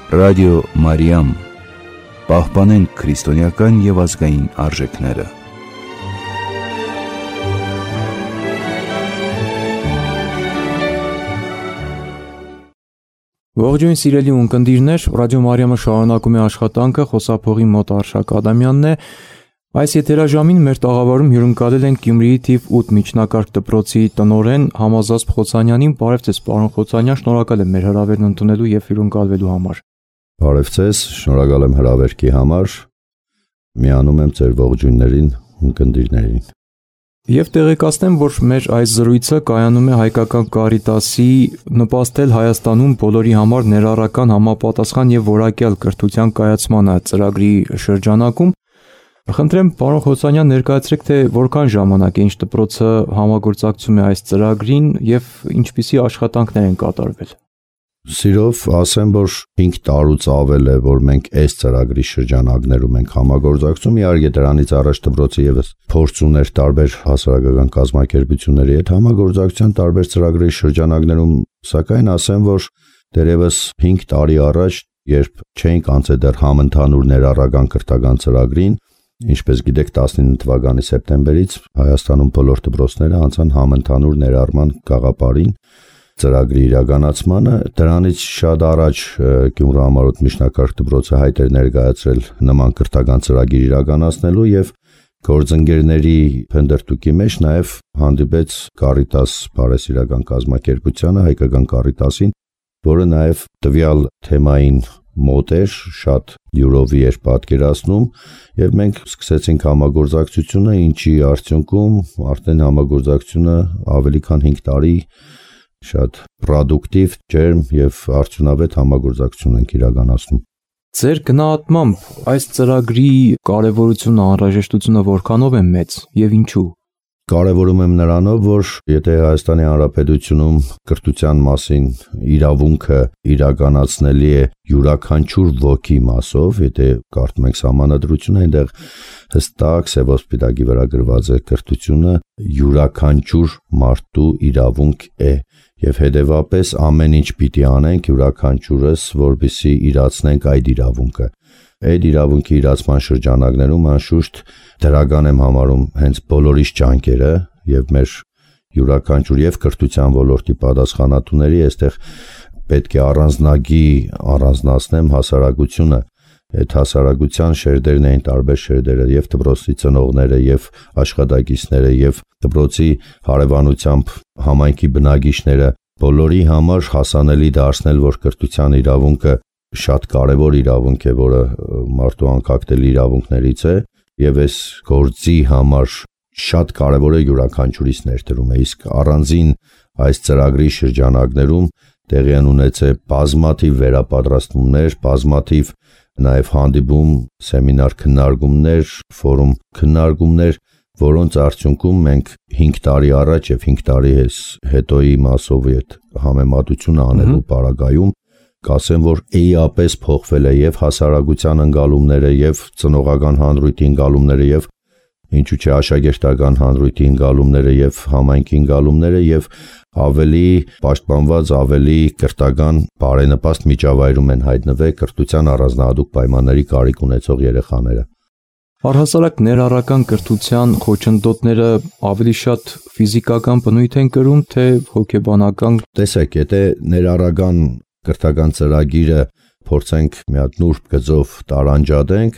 Ռադիո Մարիամ, պահպանենք քրիստոնեական և ազգային արժեքները։ Ողջույն սիրելի ունկնդիրներ, Ռադիո Մարիամը շարունակում է աշխատանքը, խոսափողի մոտ Արշակ Ադամյանն է։ Այս եթերաժամին մեր տաղավարում հյուրընկալել ենք Գյումրիի թիվ 8 միջնակարգ դպրոցի տնօրեն Համազազբ Խոցանյանին։ Բարև ձեզ, պարոն Խոցանյան, շնորհակալ եմ մեր հրավերն ընդունելու և հյուրընկալվելու համար։ Բարև ձեզ, շնորհակալ եմ հրավերքի համար։ Միանում եմ ձեր ողջույններին, ունկնդիրներին։ Եվ տեղեկացնեմ, որ մեր այս զրույցը կայանում է Հայկական Կարիտասի նպաստել Հայաստանում բոլորի համար ներառական համապատասխան և որակյալ կրթության կայացմանը ծրագրի շրջանակում։ Խնդրեմ, պարոն Խոցանյան, ներկայացրեք, թե որքան ժամանակ է ինչ դպրոցը համագործակցում է այս ծրագրին և ինչպիսի աշխատանքներ են կատարվել։ Սիրով ասեմ, որ 5 տարուց ավել է, որ մենք այս ծրագրի շրջանակներում ենք համագործակցում, իհարկե դրանից առաջ դպրոցը ևս փորձ ուներ տարբեր հասարակական կազմակերպությունների հետ համագործակցության տարբեր ծրագրերի շրջանակներում, սակայն ասեմ, որ դեռևս 5 տարի առաջ, երբ չէինք անցել դեռ համընդհանուր ներառական կրթական ծրագրին, ինչպես գիտեք, 19 թվականի սեպտեմբերից Հայաստանում բոլոր դպրոցները անցան համընդհանուր ներառման գաղափարին ծրագրի իրականացմանը, դրանից շատ առաջ Գյումրու համառոտ միջնակարգ դպրոցը հայտ էր ներկայացրել նման կրթական ծրագիր իրականացնելու եւ գործընկերների փնտրտուքի մեջ նաեւ հանդիպեց Կարիտաս բարեսիրական կազմակերպությանը, Հայկական Կարիտասին, որը նաեւ տվյալ թեմային մոտ էր, շատ յուրովի էր պատկերացնում եւ մենք սկսեցինք համագործակցությունը, ինչի արդյունքում արդեն համագործակցությունը ավելի քան 5 տարի շատ պրոդուկտիվ, ջերմ եւ արդյունավետ համագործակցություն ենք իրականացնում։ Ձեր գնահատմամբ այս ծրագրի կարևորությունը, անհրաժեշտությունը որքանով է մեծ եւ ինչու։ Կարևորում եմ նրանով, որ եթե Հայաստանի Հանրապետությունում կրթության մասին իրավունքը իրականացնելի է յուրաքանչյուր ոգի մասով, եթե կարդում ենք Սահմանադրությունը, այնտեղ հստակ սևոսպիտակի վրա գրված է կրթությունը յուրաքանչյուր մարդու իրավունք է եւ հետեւապես ամեն ինչ պիտի անենք յուրաքանչյուրս, որպեսզի իրացնենք այդ իրավունքը։ Այդ իրավունքի իրացման շրջանակներում անշուշտ դրական եմ համարում հենց բոլորիս ջանքերը եւ մեր յուրաքանչյուր եւ կրթության ոլորտի պատասխանատուների այստեղ պետք է առանձնացնեմ հասարակությունը։ Այդ հասարակության շերտերն էին տարբեր շերտերը եւ դպրոցի ծնողները եւ աշխատակիցները եւ դպրոցի հարևանությամբ համայնքի բնակիչները բոլորի համար հասանելի դարձնել, որ կրթության իրավունքը շատ կարևոր իրավունք է, որը մարդու անկախտելի իրավունքներից է եւ այս գործի համար շատ կարևոր է յուրաքանչյուրիս ներդրումը, իսկ առանձին այս ծրագրի շրջանակներում տեղի են ունեցել բազմաթիվ վերապատրաստումներ, բազմաթիվ նաև հանդիպում, սեմինար քննարկումներ, ֆորում քննարկումներ, որոնց արդյունքում մենք 5 տարի առաջ եւ 5 տարի հետոյի մասով այդ համեմատությունը անելու պարագայում կասեմ, որ էիապես փոխվել է եւ հասարակության ընկալումները եւ ծնողական հանրույթի ընկալումները եւ ինչու՞ չէ աշակերտական հանրույթի ընկալումները եւ համայնքի ընկալումները եւ ավելի պաշտպանված, ավելի կրթական բարենպաստ միջավայրում են հայտնվել կրթության առանձնահատուկ պայմանների կարիք ունեցող երեխաները։ Առհասարակ ներառական կրթության խոչընդոտները ավելի շատ ֆիզիկական բնույթ են կրում, թե հոգեբանական։ Տեսեք, եթե ներառական կրթական ծրագիրը փորձենք մի հատ նուրբ գծով տարանջատենք,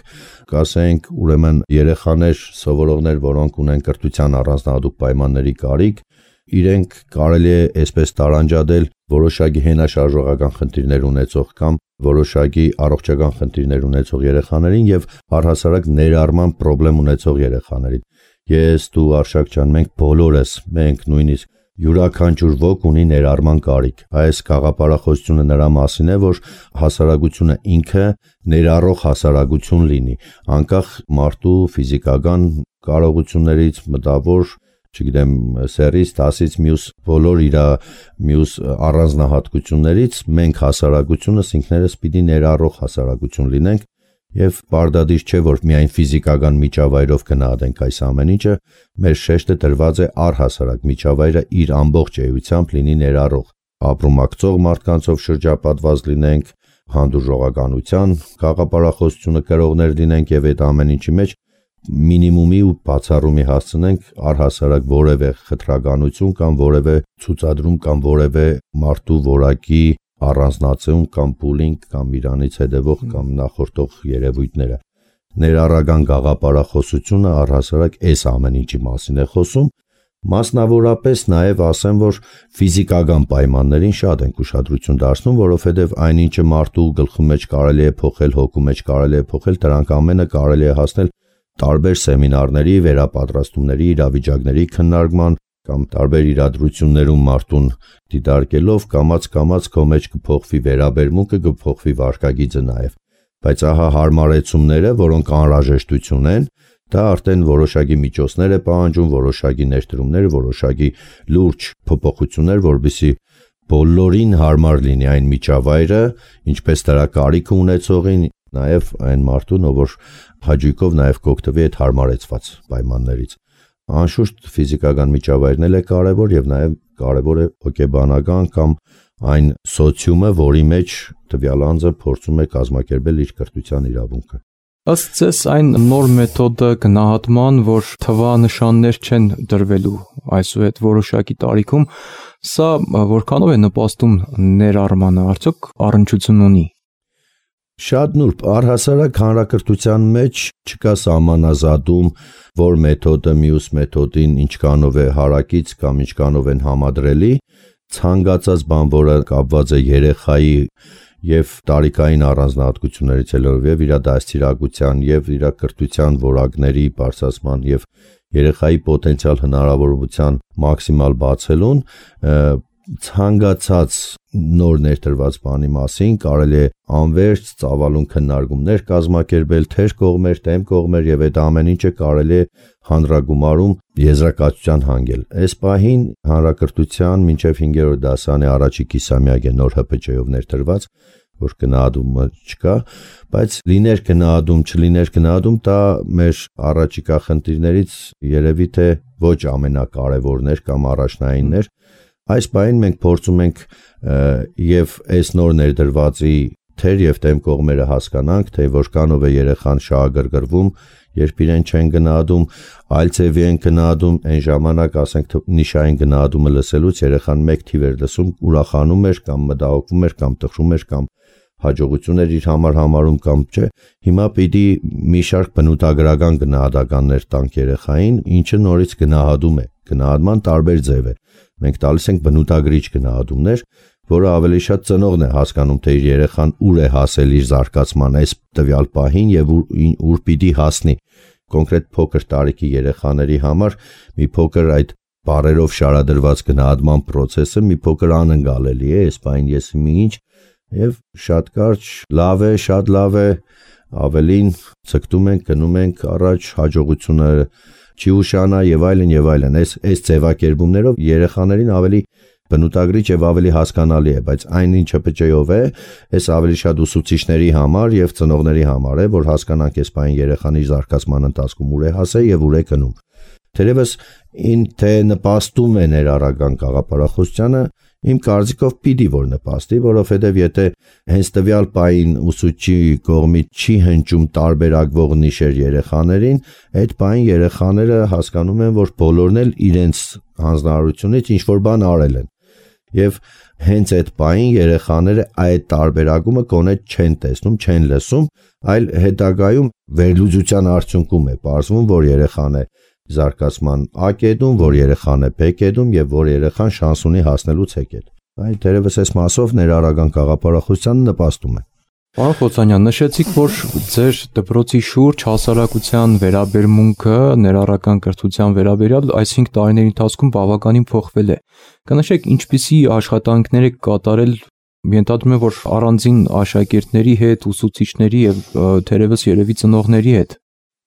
կասենք ուրեմն երեխաներ, սովորողներ, որոնք ունեն կրթության առանձնահատուկ պայմանների կարիք, իրենք կարելի է այսպես տարանջատել որոշակի հենաշարժողական խնդիրներ ունեցող կամ որոշակի առողջական խնդիրներ ունեցող երեխաներին եւ առհասարակ ներառման խնդրեմ ունեցող երեխաներին։ Ես, դու, Արշակ ջան, մենք բոլորս, մենք նույնիսկ յուրաքանչյուր ոք ունի ներառման կարիք։ Այս գաղափարախոսությունը նրա մասին է, որ հասարակությունը ինքը ներառող հասարակություն լինի, անկախ մարդու ֆիզիկական կարողություններից, մտավոր, չգիտեմ, սերից, դասից, բոլոր իր մյուս առանձնահատկություններից մենք հասարակությունս ինքներս պիտի ներառող հասարակություն լինենք եւ պարտադիր չէ, որ միայն ֆիզիկական միջավայրով գնահատենք այս ամեն ինչը, մեր շեշտը դրված է առհասարակ միջավայրը իր ամբողջ էությամբ լինի ներառող, ապրումակցող մարդկանցով շրջապատված լինենք, հանդուրժողականության գաղափարախոսությունը կրողներ լինենք եւ այդ ամեն ինչի մեջ մինիմումի ու բացառումի հասցնենք առհասարակ որևէ խտրականություն կամ որևէ ցուցադրում կամ որևէ մարդու որակի առանձնացում կամ պուլինգ կամ իրանից հետևող կամ նախորդող երևույթները։ Ներառական գաղափարախոսությունը առհասարակ այս ամեն ինչի մասին է խոսում, մասնավորապես նաև ասեմ, որ ֆիզիկական պայմաններին շատ ենք ուշադրություն դարձնում, որովհետև այնինչը մարդու գլխու մեջ կարելի է փոխել, հոգու մեջ կարելի է փոխել, դրանք ամենը կարելի է հասնել տարբեր սեմինարների, վերապատրաստումների, իրավիճակների քննարկման կամ տարբեր իրադրություններում մարդուն դիտարկելով կամաց քո մեջ կփոխվի վերաբերմունքը, կփոխվի վարքագիծը նաև։ Բայց ահա հարմարեցումները, որոնք անհրաժեշտություն են, դա արդեն որոշակի միջոցներ է պահանջում, որոշակի ներդրումներ, որոշակի լուրջ փոփոխություններ, որպեսզի բոլորին հարմար լինի այն միջավայրը, ինչպես դրա կարիք ունեցողին, նաև այն մարդուն, որ հաճույքով նաև կօգտվի այդ հարմարեցված պայմաններից։ Անշուշտ ֆիզիկական միջավայրն էլ է կարևոր եւ նաև կարևոր է հոգեբանական կամ այն սոցիումը, որի մեջ տվյալ անձը փորձում է կազմակերպել իր կրթության իրավունքը։ Ըստ ձեզ այն նոր մեթոդը գնահատման, որ թվանշաններ չեն դրվելու այսուհետ որոշակի տարիքում, սա որքանով է նպաստում ներառմանը, արդյոք առնչություն ունի։ Շատ նուրբ, առհասարակ հանրակրթության մեջ չկա սահմանազատում, որ մեթոդը մյուս մեթոդին ինչքանով է հարակից կամ ինչքանով են համադրելի, ցանկացած բան, որը կապված է երեխայի եւ տարիքային առանձնահատկություններից ելնելով իր դաստիարակության եւ իր կրթության որակների բարձրացման եւ երեխայի պոտենցիալ հնարավորության մաքսիմալ բացելուն, ցանկացած նոր ներդրված բանի մասին կարելի է անվերջ ծավալուն քննարկումներ կազմակերպել թեր կողմեր, դեմ կողմեր եւ այդ ամեն ինչը կարելի է հանրագումարում եզրակացության հանգել։ Այս պահին հանրակրթության մինչև 5-րդ դասանի առաջի կիսամյակ է նոր ՀՊՃ-ով ներդրված, որ գնահատումը չկա, բայց լիներ գնահատում, չլիներ գնահատում, դա մեր առաջիկա խնդիրներից երևի թե ոչ ամենակարևորներ կամ առաջնայիններ։ Այս բանին մենք փորձում ենք եւ այս նոր ներդրվածի թեր եւ դեմ կողմերը հասկանանք, թե որքանով է երեխան շահագրգռվում, երբ իրեն չեն գնահատում, այլ ձևի են գնահատում, այն ժամանակ ասենք նիշային գնահատումը լսելուց երեխան մեկ թիվ էր լսում, ուրախանում էր կամ մտահոգվում էր կամ տխրում էր կամ հաջողություններ իր համար համարում կամ չէ։ Հիմա պիտի մի շարք բնութագրական գնահատականներ տանք երեխային, ինչը նորից գնահատում է։ Գնահատման տարբեր ձև է։ Մենք տալիս ենք բնութագրիչ գնահատումներ, որը ավելի շատ ծնողն է հասկանում, թե իր երեխան ուր է հասել իր զարգացման այս տվյալ պահին եւ ուր պիտի հասնի։ Կոնկրետ փոքր տարիքի երեխաների համար մի փոքր այդ բառերով շարադրված գնահատման process-ը մի փոքր անընկալելի է, այս բան ես ինչ եւ շատ կարճ, լավ է, շատ լավ է, ավելին ցկտում ենք, գնում ենք առաջ, հաջողությունները չի ուշանա եւ այլն, այս ձևակերպումներով երեխաներին ավելի բնութագրիչ եւ ավելի հասկանալի է, բայց այն ինչը ՊՃ-ով է, այս ավելի շատ ուսուցիչների համար եւ ծնողների համար է, որ հասկանանք այս բան երեխան իր զարգացման ընթացքում ուր է հասել եւ ուր է գնում։ Թերևս թե նպաստում է ներառական գաղափարախոսությանը, իմ կարծիքով պիտի որ նպաստի, որովհետև եթե հենց տվյալ պահին ուսուցչի կողմից չի հնչում տարբերակվող նիշեր երեխաներին, այդ պահին երեխաները հասկանում են, որ բոլորն էլ իրենց հանձնարարությունից ինչ որ բան արել են։ Եվ հենց այդ պահին երեխաները այդ տարբերակումը կոնե չեն տեսնում, չեն լսում, այլ հետագայում վերլուծության արդյունքում է պարզվում, որ երեխան է զարգացման A կետում, որ երեխան է B կետում եւ որ երեխան շանս ունի հասնելու C կետ։ Այդ դերևս այս մասով ներառական գաղափարախոսությանը նպաստում է։ Պարոն Խոցանյան, նշեցիք, որ ձեր դպրոցի շուրջ հասարակության վերաբերմունքը ներառական կրթության վերաբերյալ այս 5 տարիների ընթացքում բավականին փոխվել է։ Կնշեք, ինչպիսի աշխատանքներ եք կատարել, ենթադրում եմ, որ առանձին աշակերտների հետ, ուսուցիչների եւ թերևս երևի ծնողների հետ։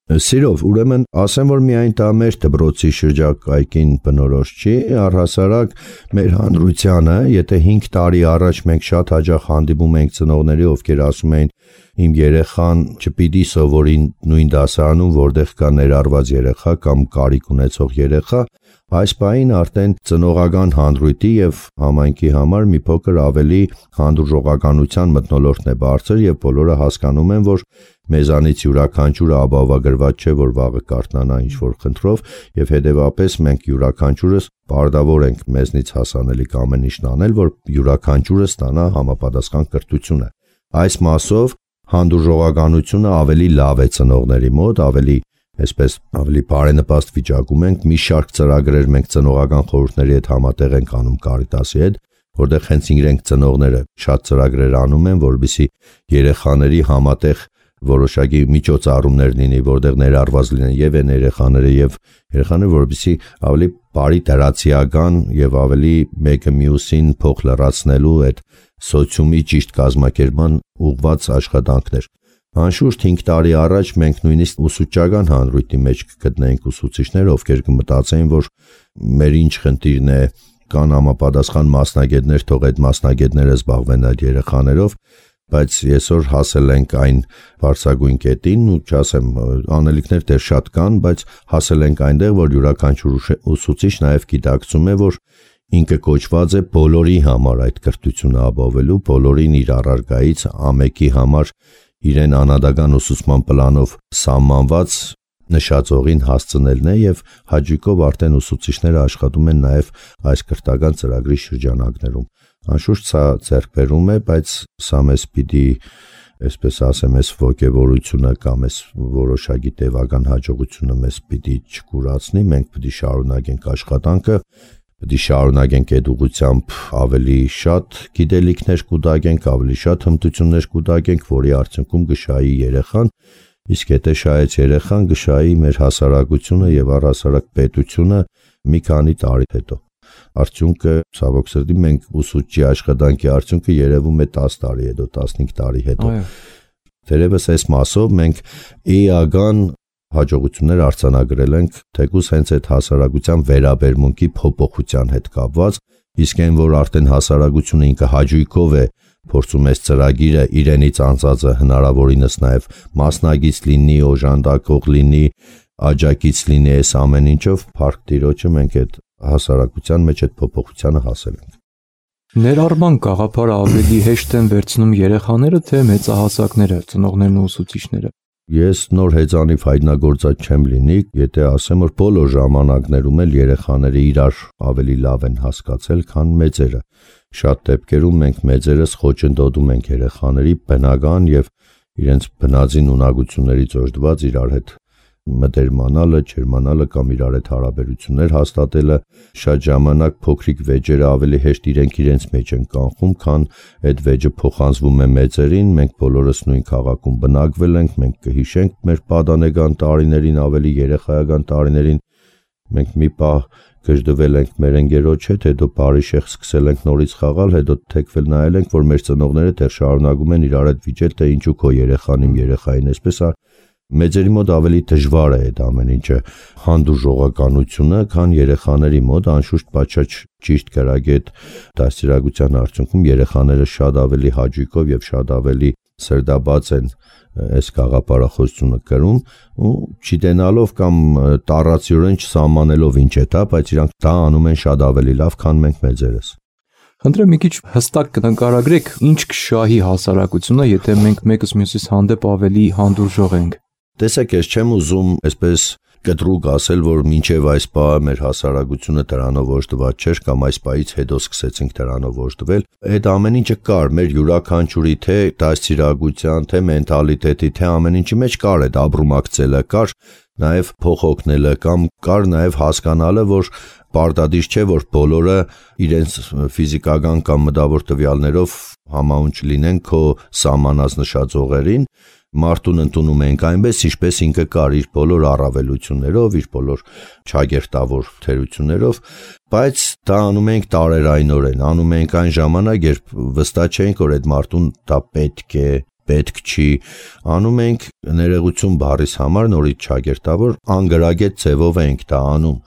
Սիրով, ուրեմն ասեմ, որ միայն դա մեր դպրոցի շրջակայքին բնորոշ չի, առհասարակ մեր հանրությանը, եթե 5 տարի առաջ մենք շատ հաճախ հանդիպում ենք ծնողների, ովքեր ասում էին, իմ երեխան չպիտի սովորի նույն դասարանում, որտեղ կա ներառված երեխա կամ կարիք ունեցող երեխա, այս պահին արդեն ծնողական հանդրույթի եւ համայնքի համար մի փոքր ավելի հանդուրժողականության մթնոլորտն է բարձր եւ բոլորը հասկանում են, որ մեզանից յուրաքանչյուրը ապահովագրված չէ, որ վաղը կարթնանա ինչ-որ խնդրով եւ հետեւապես մենք յուրաքանչյուրս պարտավոր ենք մեզնից հասանելիք ամեն ինչն անել, որ յուրաքանչյուրը ստանա համապատասխան կրթությունը։ Այս մասով հանդուրժողականությունը ավելի լավ է ծնողների մոտ, ավելի բարենպաստ վիճակում ենք, մի շարք ծրագրեր մենք ծնողական խորհուրդների հետ համատեղ ենք անում Կարիտասի հետ, որտեղ հենց իրենք ծնողները շատ ծրագրեր անում են, որովհետեւ երեխաների համատեղ որոշակի միջոցառումներ լինի, որտեղ ներառված լինեն եւ այն երեխաները, որովհետեւ ավելի բարի դրացիական եւ ավելի մեկը մյուսին փոխ լրացնելու այդ սոցիումի ճիշտ կազմակերպման ուղղված աշխատանքներ։ Անշուշտ 5 տարի առաջ մենք նույնիսկ ուսուցչական հանրույթի մեջ կգտնեինք ուսուցիչներ, ովքեր կմտածեին, որ մեր ինչ խնդիրն է, կան համապատասխան մասնագետներ, թող այդ մասնագետները զբաղվեն այդ երեխաներով, բայց այսօր հասել ենք այն բարձրագույն կետին, ու չասեմ, անելիքներ դեռ շատ կան, բայց հասել ենք այնտեղ, որ յուրաքանչյուր ուսուցիչ նաև գիտակցում է, որ ինքը կոչված է բոլորի համար այդ կրթությունը ապահովելու, բոլորին իր առարկայից ամեկի համար իրեն անհատական ուսուցման պլանով սահմանված նշածողին հասցնելն է եւ հաջիկով արդեն ուսուցիչները աշխատում են նաեւ այս կրթական ծրագրի շրջանակներում։ Անշուշտ սա ձեռքբերում է, բայց սա մեզ պիտի, այսպես ասեմ, այս ոգևորությունը կամ այս որոշակի տևական հաջողությունը մեզ պիտի չկուրացնի, մենք պիտի շարունակենք աշխատանքը, պիտի շարունակենք այդ ուղղությամբ ավելի շատ գիտելիքներ կուտակենք, ավելի շատ հմտություններ կուտակենք, որի արդյունքում գշայի երեխան, իսկ եթե շահեց երեխան, գշայի մեր հասարակությունը եւ առհասարակ պետությունը մի քանի տարի հետո։ Արդյունքը ցավոք սրտի մենք ուսուցչի աշխատանքի արդյունքը երևում է 10 տարի հետո, 15 տարի հետո։ Թերևս այս մասով մենք էական հաջողություններ արձանագրել ենք, թեկուզ հենց այդ հասարակության վերաբերմունքի փոփոխության հետ կապված, իսկ այն որ արդեն հասարակությունը ինքը հաջույքով է փորձում այս ծրագիրը իրենից անցածը հնարավորինս նաև մասնագից լինի, օժանդակող լինի, աջակից լինի այս ամեն ինչով, փառք Տիրոջը մենք այդ հասարակության մեջ այդ փոփոխությանը հասել ենք։ Ներառման գաղափարը ավելի հեշտ են վերցնում երեխաները, թե մեծահասակները, ծնողներն ու ուսուցիչները։ Ես նոր հեծանիվ հայտնագործած չեմ լինի, եթե ասեմ, որ բոլոր ժամանակներում էլ երեխաները իրար ավելի լավ են հասկացել, քան մեծերը։ Շատ դեպքերում մենք մեծերս խոչընդոտում ենք երեխաների բնական եւ իրենց բնածին ունակություններից օժտված իրար հետ մտերմանալը, չերմանալը կամ իրար հետ հարաբերություններ հաստատելը, շատ ժամանակ փոքրիկ վեճերը ավելի հեշտ իրենց մեջ են կանխում, քան այդ վեճը փոխանցվում է մեծերին, մենք բոլորս նույն քաղաքում բնակվել ենք, մենք կհիշենք մեր պատանեկան տարիներին, ավելի երեխայական տարիներին, մենք մի պահ գժդվել ենք մեր ընկերոջ հետ, հետո բարի շեղ սկսել ենք նորից խաղալ, հետո թեքվել նայել ենք, որ մեր ծնողները դեռ շարունակում են իրար հետ վիճել, թե ինչու քո երեխան իմ երեխային, այսպես մեծերի մոտ ավելի դժվար է այդ ամեն ինչը հանդուրժողականությունը, քան երեխաների մոտ, անշուշտ պատշաճ ճիշտ գրագետ դաստիարակության արդյունքում երեխաները շատ ավելի հաճույքով եւ շատ ավելի սրդաբաց են այս գաղափարախոսությունը կրում ու չիտենալով կամ տառացիորեն չսահմանելով ինչ է դա, բայց իրանք դա անում են շատ ավելի լավ, քան մենք մեծերս։ Խնդրեմ մի քիչ հստակ կնկարագրեք, ինչ կշահի հասարակությունը, եթե մենք մեկս մյուսից հանդեպ ավելի հանդուրժող ենք։ Տեսեք, ես չեմ ուզում այսպես կտրուկ ասել, որ մինչև այս պահը մեր հասարակությունը դրանով օժտված չէր կամ այս պահից հետո սկսեցինք դրանով օժտվել։ Այդ ամեն ինչը կար մեր յուրաքանչյուրի թե դաստիարակության, թե մենթալիտետի, թե ամեն ինչի մեջ կար այդ ապրումակցելը, կար նաև փոխօգնելը կամ կար նաև հասկանալը, որ պարտադիր չէ, որ բոլորը իրենց ֆիզիկական կամ մտավոր տվյալներով համաունչ լինեն քո սահմանած նշած ուղերին, մարդուն ընդունում ենք այնպես, ինչպես ինքը կար իր բոլոր առավելություններով, իր բոլոր չագերտավոր թերություններով, բայց դա անում ենք տարերայնորեն, անում ենք այն ժամանակ, երբ վստահ չենք, որ այդ մարդուն դա պետք է, պետք չի, անում ենք ներողություն բառիս համար նորից չագերտավոր, անգրագետ ձևով ենք դա անում։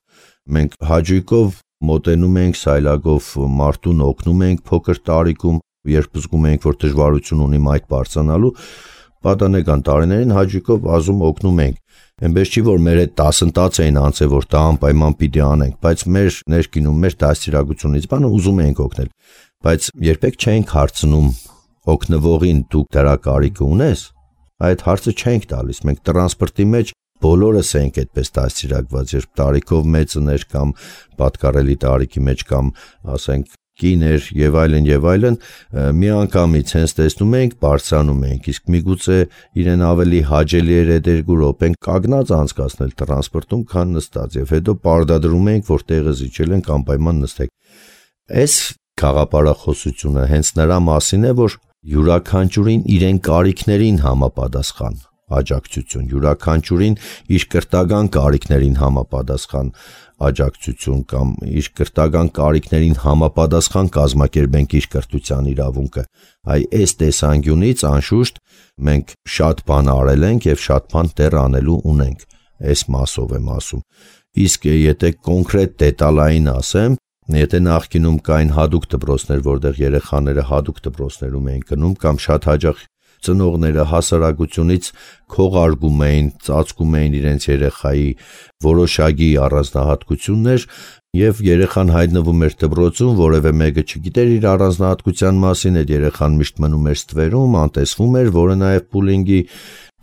Մենք հաճույքով մոտենում ենք սայլակով մարդուն օգնում ենք փոքր տարիքում, երբ զգում ենք, որ դժվարություն ունի այդ բարձրանալու, պատանեկան տարիներին հաճույքով ազում օգնում ենք։ Այնպես չի, որ մեր այդ դասընթաց էին անցել, որ դա անպայման պիտի անենք, բայց մեր ներքինում, մեր դաստիարակությունից բանը ուզում ենք օգնել, բայց երբեք չենք հարցնում օգնվողին դու դրա կարիքը ունես, այդ հարցը չենք տալիս։ Մենք տրանսպորտի մեջ բոլորս ենք այդպես դաստիարակված, երբ տարիքով մեծներ կամ պատկառելի տարիքի մեջ կամ ասենք կիներ եւ այլն, միանգամից հենց տեսնում ենք, բարձրանում ենք, իսկ միգուցե իրեն ավելի հաճելի էր դերգու րոպեն կանգնած անցկացնել տրանսպորտում, քան նստած, եւ հետո պարտադրում ենք, որ տեղը զիջել ենք, անպայման նստեք։ Այս խաղապարախոսությունը հենց նրա մասին է, որ յուրաքանչյուրին իրեն կարիքներին համապատասխան աջակցություն, յուրաքանչյուրին իր կրթական կարիքներին համապատասխան աջակցություն կամ իր կրթական կարիքներին համապատասխան կազմակերպենք իր կրթության իրավունքը։ Այս տեսանկյունից անշուշտ մենք շատ բան արել ենք եւ շատ բան դեռ անելու ունենք։ Այս մասով եմ ասում։ Իսկ եթե կոնկրետ դետալային ասեմ, եթե նախկինում կային հատուկ դպրոցներ, որտեղ երեխաները հատուկ դպրոցներում էին գնում կամ շատ հաճախ ծնողները հասարակությունից քողարկում էին, ծածկում էին իրենց երեխայի որոշակի առանձնահատկություններ եւ երեխան հայտնվում էր դպրոցում, որևէ մեկը չգիտեր իր առանձնահատկության մասին, այդ երեխան միշտ մնում էր ստվերում, անտեսվում էր, որը նաեւ բուլինգի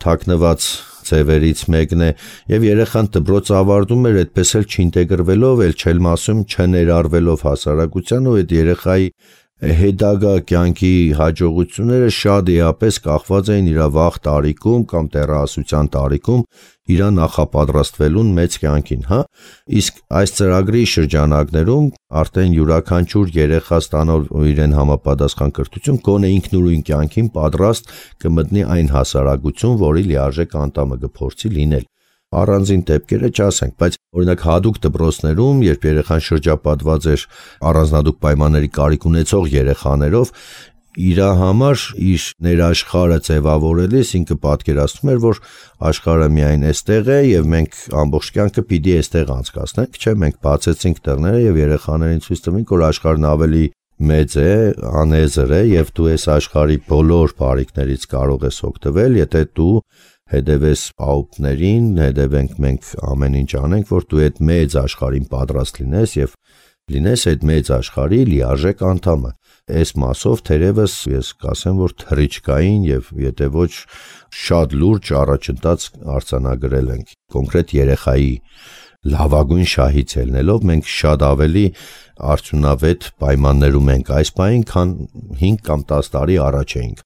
թաքնված ձևերից մեկն է, եւ երեխան դպրոց ավարտում էր այդպես էլ չինտեգրվելով, էլ չել մասում չներառվելով հասարակության ու այդ երեխայի հետագա կյանքի հաջողությունները շատ էապես կախված էին իր վաղ տարիքում կամ տեղասության տարիքում իր նախապատրաստվելուն մեծ կյանքին, իսկ այս ծրագրի շրջանակներում արդեն յուրաքանչյուր երեխա ստանալ իրեն համապատասխան կրթություն գոնե ինքնուրույն կյանքին պատրաստ կմտնի այն հասարակություն, որի լիարժեք անդամը կփորձի լինել։ Առանձին դեպքերը չասենք, բայց օրինակ հատուկ դպրոցներում, երբ երեխան շրջապատված էր առանձնահատուկ պայմանների կարիք ունեցող երեխաներով, իր համար իր ներաշխարհը ձևավորելիս ինքը պատկերացնում էր, որ աշխարհը միայն այստեղ է եւ մենք ամբողջ կյանքը պիտի այստեղ անցկացնենք, չէ, մենք բացեցինք տեղները եւ երեխաներին ցույց տվինք, որ աշխարհն ավելի մեծ է, անեզր է եւ դու այս աշխարհի բոլոր բարիքներից կարող ես օգտվել, եթե դու հետևես պահուպներին, հետևենք մենք ամեն ինչ անենք, որ դու այդ մեծ աշխարհին պատրաստ լինես եւ լինես այդ մեծ աշխարհի լիարժեք անդամը։ Այս մասով թերևս ես կասեմ, որ թռիչքային եւ եթե ոչ շատ լուրջ առաջընթաց արձանագրել ենք կոնկրետ երեխայի լավագույն շահից ելնելով մենք շատ ավելի արդյունավետ պայմաններում ենք այս պահին, քան 5 կամ 10 տարի առաջ էինք։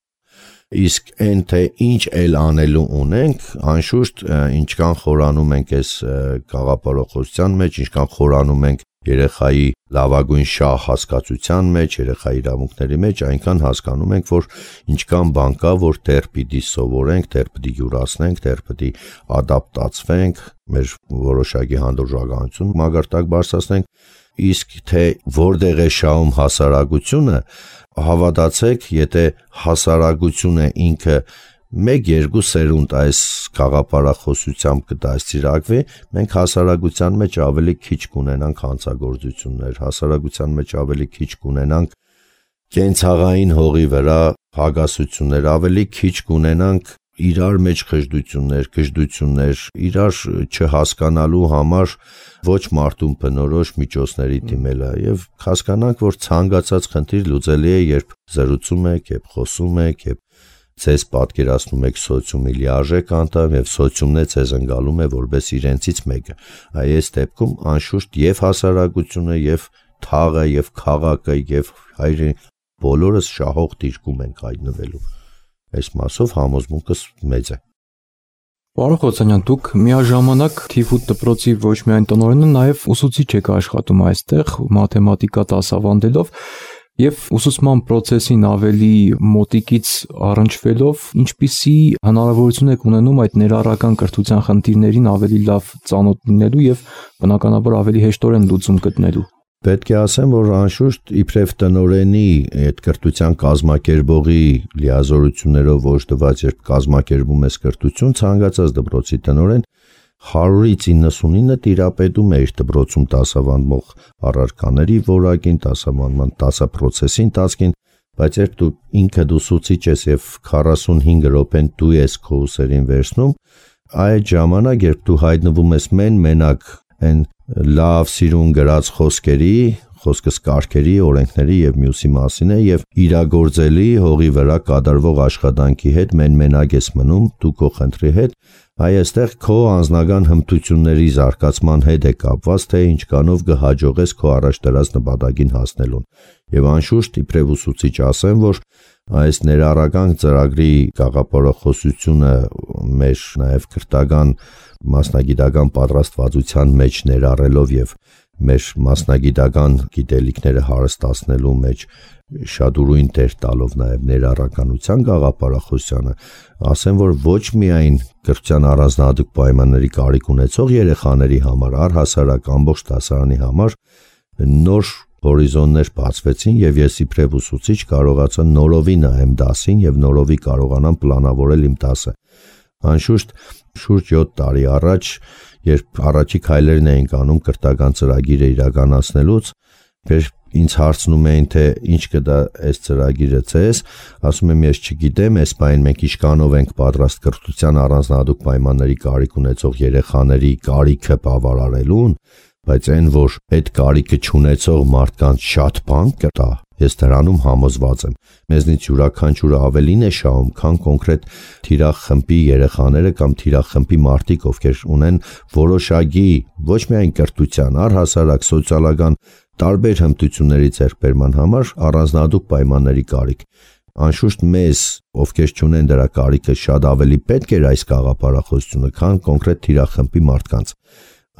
Իսկ այն թե ինչ էլ անելու ունենք, անշուշտ ինչքան խորանում ենք այս գաղափարախոսության մեջ, ինչքան խորանում ենք երեխայի լավագույն շահ հասկացության մեջ, երեխայի իրավունքների մեջ, այնքան հասկանում ենք, որ ինչքան բան կա, որ դեռ պիտի սովորենք, դեռ պիտի յուրացնենք, դեռ պիտի ադապտացվենք, մեր որոշակի հանդուրժականություն մագարտակ բարձրացնենք, իսկ թե որտեղ է շահում հասարակությունը, հավատացեք, եթե հասարակությունը ինքը 1-2 սերունդ այս գաղափարախոսությամբ կդաստիարակվի, մենք հասարակության մեջ ավելի քիչ կունենանք հանցագործություններ, հասարակության մեջ ավելի քիչ կունենանք կենցաղային հողի վրա հագասություններ, ավելի քիչ կունենանք իրար մեջ խժդություններ, գժդություններ, իրար չհասկանալու համար ոչ մարդուն բնորոշ միջոցների դիմելը եւ հասկանանք, որ ցանկացած խնդիր լուծելի է, երբ զրուցում եք, երբ խոսում եք, երբ ձեզ պատկերացնում եք սոցիումի լիարժեք անդամ եւ սոցիումն է ձեզ ընկալում է որպես իրենցից մեկը։ Այս դեպքում անշուշտ եւ հասարակությունը եւ թաղը եւ քաղաքը եւ հայրը բոլորս շահող դիրքում ենք հայտնվելու։ Այս մասով համոզմունքս մեծ է։ Պարոն Խոցանյան, դուք միաժամանակ թիվ 8 դպրոցի ոչ միայն տնօրենը, նաև ուսուցիչ եք աշխատում այստեղ մաթեմատիկա դասավանդելով եւ ուսուցման process-ին ավելի մոտիկից առնչվելով, ինչպիսի հնարավորություն եք ունենում այդ ներառական կրթության խնդիրներին ավելի լավ ծանոթ լինելու եւ բնականաբար ավելի հեշտորեն լուծում գտնելու։ Պետք է ասեմ, որ անշուշտ իբրև տնօրենի այդ կրթության կազմակերպողի լիազորություններով օժտված, երբ կազմակերպում ես կրթություն, ցանկացած դպրոցի տնօրեն 100-ից 99-ը տիրապետում է իր դպրոցում դասավանդող առարկաների որակին, դասավանդման դասապրոցեսի ընթացքին, բայց երբ դու ինքդ ուսուցիչ ես եւ 45 րոպեն դու ես քո ուսերին վերցնում, այդ ժամանակ երբ դու հայտնվում ես մենակ այն լավ սիրուն գրած խոսքս կարգերի, օրենքների եւ մյուսի մասին է եւ իրագործելի հողի վրա կատարվող աշխատանքի հետ մենակ ես մնում դու քո խնդրի հետ, այստեղ քո անձնական հմտությունների զարգացման հետ է կապված, թե ինչքանով կհաջողես քո առաջ դրած նպատակին հասնելուն։ Եվ անշուշտ իբրև ուսուցիչ ասեմ, որ այս ներառական ծրագրի գաղափարախոսությունը մեր նաեւ քրթական մասնագիտական պատրաստվածության մեջ ներառելով եւ մեր մասնագիտական գիտելիքները հարստացնելու մեջ շատ ուրույն դեր տալով նաև ներառականության գաղափարախոսությանը, ասեմ, որ ոչ միայն կրթության առանձնահատուկ պայմանների կարիք ունեցող երեխաների համար, առհասարակ ամբողջ դասարանի համար նոր հորիզոններ բացվեցին եւ ես իբրև ուսուցիչ կարողացա նորովի նայեմ դասին եւ նորովի կարողանամ պլանավորել իմ դասը։ Անշուշտ շուրջ 7 տարի առաջ, երբ առաջի քայլերն էինք անում կրթական ծրագիրը իրականացնելուց, ինձ հարցնում էին, թե ինչ կդա այս ծրագիրը ցես, ասում եմ ես չգիտեմ, այս բան մենք ինչքանով ենք պատրաստ կրթության առանձնահատուկ պայմանների կարիք ունեցող երեխաների կարիքը բավարարելուն, բայց այն որ այդ կարիքը չունեցող մարդկանց շատ բան կտա, ես դրանում համոզված եմ։ Մեզնից յուրաքանչյուրը ավելին է շահում, քան կոնկրետ թիրախմբի երեխաները կամ թիրախմբի մարդիկ, ովքեր ունեն որոշակի ոչ միայն կրթության, առհասարակ սոցիալական տարբեր հմտությունների ձեռքբերման համար առանձնահատուկ պայմանների կարիք։ Անշուշտ մեզ, ովքեր չունեն դրա կարիքը, շատ ավելի պետք էր այս գաղափարախոսությունը, քան կոնկրետ թիրախմբի մարդկանց։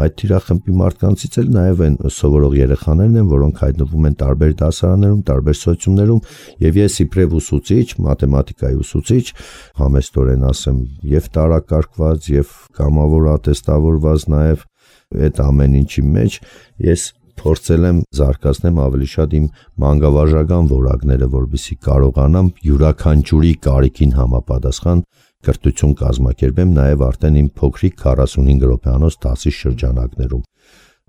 Այդ թիրախմբի մարդկանցից էլ նաև այն սովորող երեխաներն են, որոնք հայտնվում են տարբեր դասարաններում, տարբեր սոցիումներում, եւ ես իբրև ուսուցիչ, մաթեմատիկայի ուսուցիչ, համեստորեն ասեմ, եւ տարակարգված, եւ կամավոր ատեստավորված նաև այդ ամեն ինչի մեջ ես փորձել եմ զարգացնեմ ավելի շատ իմ մանկավարժական որակները, որպեսզի կարողանամ յուրաքանչյուրի կարիքին համապատասխան կրթություն կազմակերպեմ նաև արդեն իմ փոքրիկ 45 րոպեանոց դասի շրջանակներում։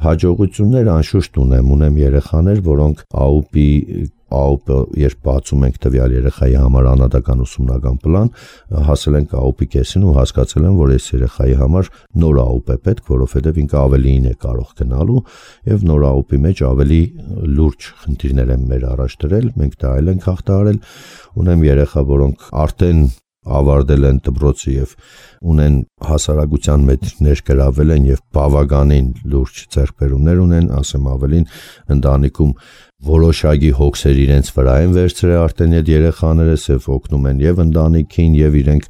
Հաջողություններ անշուշտ ունեմ երեխաներ, որոնք ԱՈՊ-ը երբ բացում ենք տվյալ երեխայի համար անհատական ուսումնական պլան, հասել ենք ԱՈՊ-ի կեսին ու հասկացել եմ, որ այս երեխայի համար նոր ԱՈՊ է պետք, որովհետև ինքը ավելին է կարող գնալու եւ նոր ԱՈՊ-ի մեջ ավելի լուրջ խնդիրներ են մեր առաջ դրել, մենք դա այլ ենք հաղթահարել։ Ունեմ երեխա, որոնք արդեն ավարտել են դպրոցը եւ ունեն հասարակության մեջ ներգրավել են եւ բավականին լուրջ ձեռքբերումներ ունեն, ասեմ ավելին, ընտանիքում որոշակի հոգսեր իրենց վրա են վերցրել արդեն այդ երեխաները, սև օգնում են եւ ընտանիքին եւ իրենք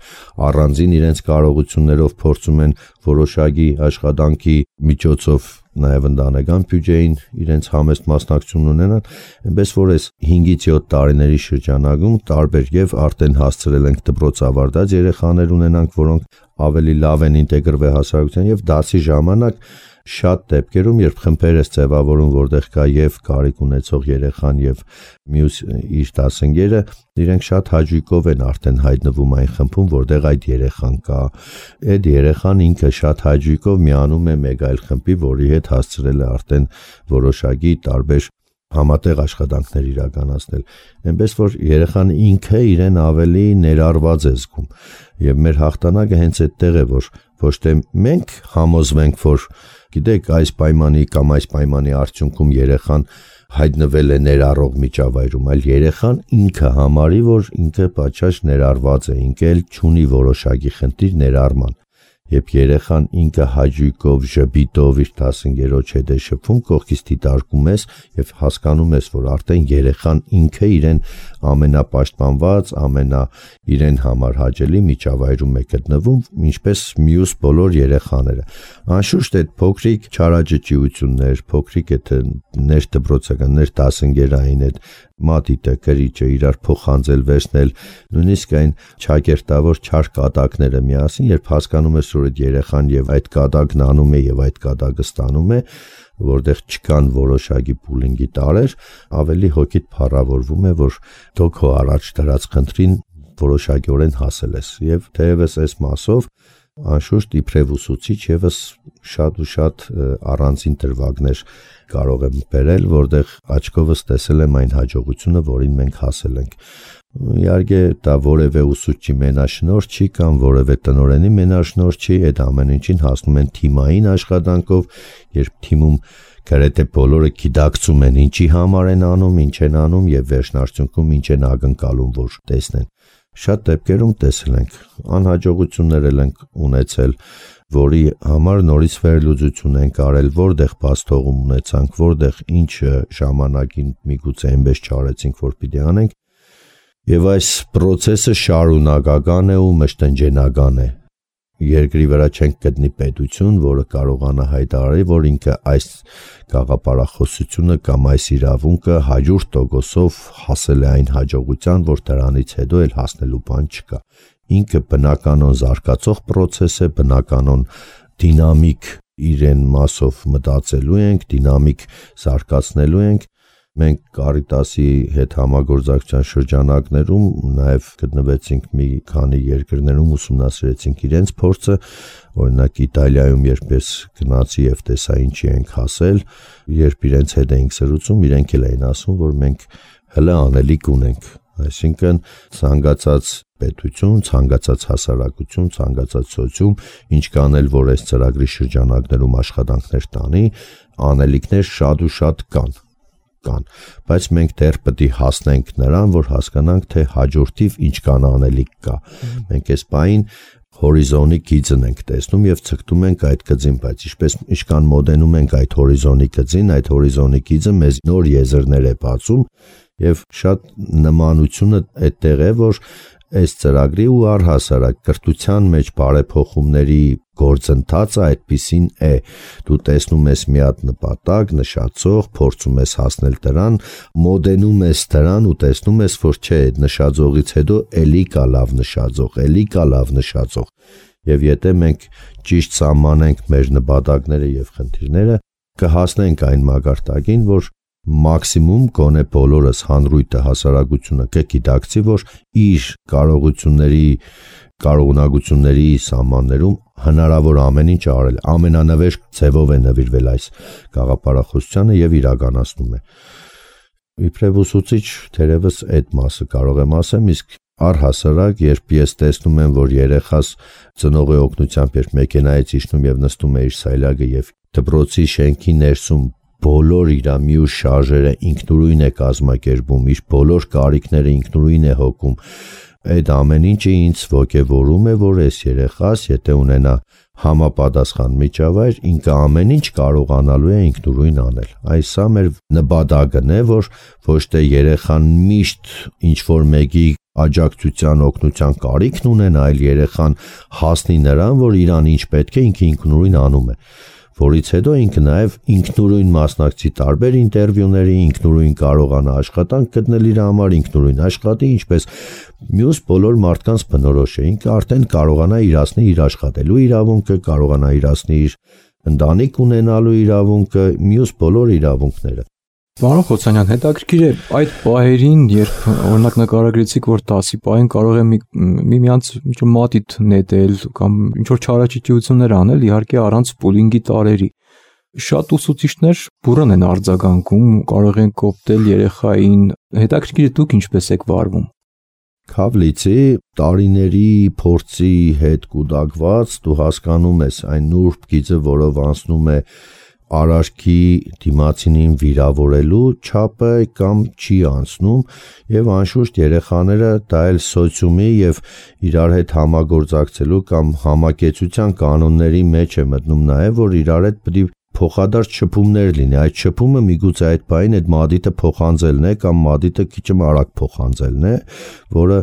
առանձին իրենց կարողություններով փորձում են որոշակի աշխատանքի միջոցով նաև ընտանեկան բյուջեին իրենց համեստ մասնակցություն ունենան, այնպես որ այս 5-ից 7 տարիների շրջանակում տարբեր եւ արդեն հասցրել ենք դպրոց ավարտած երեխաներ ունենանք, որոնք ավելի լավ են ինտեգրվել հասարակության եւ դասի ժամանակ շատ դեպքերում, երբ խմբեր ես ձևավորում, որտեղ կա եւ կարիք ունեցող երեխան եւ մյուս իր դասընկերը, իրենք շատ հաճույքով են արդեն հայտնվում այն խմբում, որտեղ այդ երեխան կա։ Այդ երեխան ինքը շատ հաճույքով միանում է մեկ այլ խմբի, որի հետ հասցրել է արդեն որոշակի տարբեր համատեղ աշխատանքներ իրականացնել, այնպես որ երեխան ինքը իրեն ավելի ներառված է զգում եւ մեր հաղթանակը հենց այդտեղ է, որ ոչ թե մենք համոզվենք, որ գիտեք այս պայմանի կամ այս պայմանի արդյունքում երեխան հայտնվել է ներառող միջավայրում, այլ երեխան ինքը համարի, որ ինքը պատշաճ ներառված է, ինքը էլ չունի որոշակի խնդիր ներառման։ Երբ երեխան ինքը հաճույքով, ժպիտով իր դասընկերոջ հետ է շփվում, կողքից դիտարկում ես եւ հասկանում ես, որ արդեն երեխան ինքը իրեն ամենապաշտպանված, իրեն համար հաճելի միջավայրում է գտնվում, ինչպես մյուս բոլոր երեխաները։ Անշուշտ այդ փոքրիկ չարաճճիություններ, փոքրիկ այդ ներդպրոցական, ներդասընկերային այդ մատիտը, կրիչը իրար փոխանցել վերցնել, նույնիսկ այն ճակերտավոր չար կատակները միասին, երբ հասկանում ես, որ այդ երեխան եւ այդ կատակն անում է եւ այդ կատակը ստանում է, որտեղ չկան որոշակի պուլինգի տարեր, ավելի հոգիդ փառավորվում է, որ դու քո առաջ դրած խնդրին որոշակիորեն հասել ես եւ թերևս այս մասով Անշուշտ իբրև ուսուցիչ եւս շատ ու շատ առանձին դրվագներ կարող եմ բերել, որտեղ աչքովս տեսել եմ այն հաջողությունը, որին մենք հասել ենք։ Իհարկե դա որևէ ուսուցչի մենաշնորհ չի կամ որևէ տնօրենի մենաշնորհ չի, այդ ամեն ինչին հասնում են թիմային աշխատանքով, երբ թիմում գրեթե բոլորը գիտակցում են ինչի համար են անում, ինչ են անում եւ վերջնարդյունքում ինչ են ակնկալում, որ տեսնեն։ Շատ դեպքերում տեսել ենք, անհաջողություններ ենք ունեցել, որի համար նորից վերլուծություն ենք արել, որտեղ բացթողում ունեցանք, որտեղ ինչ ժամանակին միգուցե այնպես չարեցինք, որ պիտի անենք, եւ այս process-ը շարունակական է ու մշտնջենական է։ Երկրի վրա չենք գտնի պետություն, որը կարողանա հայտարարի, որ ինքը այս գաղափարախոսությունը կամ այս իրավունքը 100%-ով հասել է այն հաջողության, որ դրանից հետո էլ հասնելու բան չկա։ Ինքը բնականon զարգացող process է, բնականon դինամիկ իրեն մասով մտածելու ենք, դինամիկ զարգացնելու ենք։ Մենք Կարիտասի հետ համագործակցության շրջանակներում նաև գտնվեցինք մի քանի երկրներում, ուսումնասիրեցինք իրենց փորձը, օրինակ Իտալիայում երբ ես գնացի եւ տեսա ինչի ենք հասել, երբ իրենց հետ էինք սրուցում, իրենք էլ էին ասում, որ մենք հələ անելիք ունենք, այսինքն ցանկացած պետություն, ցանկացած հասարակություն, ցանկացած սոցիում, ինչ կանել, որ այս ծրագրի շրջանակներում աշխատանքներ տանի, անելիքներ շատ ու շատ կան, բայց մենք դեռ պետք է հասնենք նրան, որ հասկանանք, թե հաջորդիվ ինչքան անելիք կա։ Մենք այս բային հորիզոնի գիծն ենք տեսնում եւ ցկտում ենք այդ գծին, բայց ինչքան մոտենում ենք այդ հորիզոնի գծին, այդ հորիզոնի գիծը մեզ նոր եզրներ է բացում եւ շատ նմանությունը այդտեղ է, որ այս ծրագրի ու առհասարակ կրթության մեջ բարեփոխումների գործընթացը այդպիսին է։ Դու տեսնում ես մի հատ նպատակ, նշածող, փորձում ես հասնել դրան, մոդենում ես դրան ու տեսնում ես, որ չէ, այդ նշածողից հետո էլի կա լավ նշածող, էլի կա լավ նշածող։ Եվ եթե մենք ճիշտ սահմանենք մեր նպատակները եւ խնդիրները, կհասնենք այն մակարդակին, որ մաքսիմում գոնե բոլորս հանրույթը հասարակությունը կգիտակցի, որ իր կարողունակությունների սահմաններում հնարավոր ամեն ինչ արել, ամենանվեր ձևով է նվիրվել այս գաղափարախոսությանը եւ իրականացնում է։ Իբրև ուսուցիչ թերևս այդ մասը կարող եմ ասեմ, իսկ առհասարակ երբ ես տեսնում եմ, որ երեխաս ծնողի օգնությամբ երբ մեքենայից իջնում եւ նստում է իր սայլակը եւ դպրոցի շենքի ներսում բոլոր իր մյուս շարժերը ինքնուրույն է կազմակերպում, իր բոլոր կարիքները ինքնուրույն է հոգում, այդ ամեն ինչը ինձ ոգևորում է, որ այս երեխաս, եթե ունենա համապատասխան միջավայր, ինքը ամեն ինչ կարողանալու է ինքնուրույն անել։ Այս սա մեր նպատակն է, որ ոչ թե երեխան միշտ ինչ-որ մեկի աջակցության, օգնության կարիքն ունենա, այլ երեխան հասնի նրան, որ իրան ինչ պետք է, ինքը ինքնուրույն անում է, որից հետո ինքը նաև ինքնուրույն մասնակցի տարբեր ինտերվյուների, ինքնուրույն կարողանա աշխատանք գտնել իր համար, ինքնուրույն աշխատի, ինչպես մյուս բոլոր մարդկանց բնորոշ է, ինքը արդեն կարողանա իրացնի իր աշխատելու իրավունքը, կարողանա իրացնի իր ընտանիք ունենալու իրավունքը, մյուս բոլոր իրավունքները։ Պարոն Խոցանյան, հետաքրքիր է այդ պահերին, երբ օրինակ նկարագրեցիք, որ 10-ի պահին կարող է միմյանց մատիտ նետել կամ ինչ-որ չարաճճիություններ անել, իհարկե առանց պուլինգի տարերի։ Շատ ուսուցիչներ բուռն են արձագանքում, կարող են կոպտել երեխային։ Հետաքրքիր է դուք ինչպես եք վարվում։ Քավլիցի տարիների փորձի հետ կուտակված դու հասկանում ես այն նուրբ գիծը, որով անցնում է արարքի դիմացինին վիրավորելու չափը կամ չի անցնում եւ անշուշտ երեխաները դա էլ սոցիումի եւ իրար հետ համագործակցելու կամ համակեցության կանոնների մեջ է մտնում նաեւ, որ իրար հետ պետք է փոխադարձ շփումներ լինի, այդ շփումը միգուցե այդ բային այդ մադիտը փոխանցելն է կամ մադիտը քիչ արագ փոխանցելն է, որը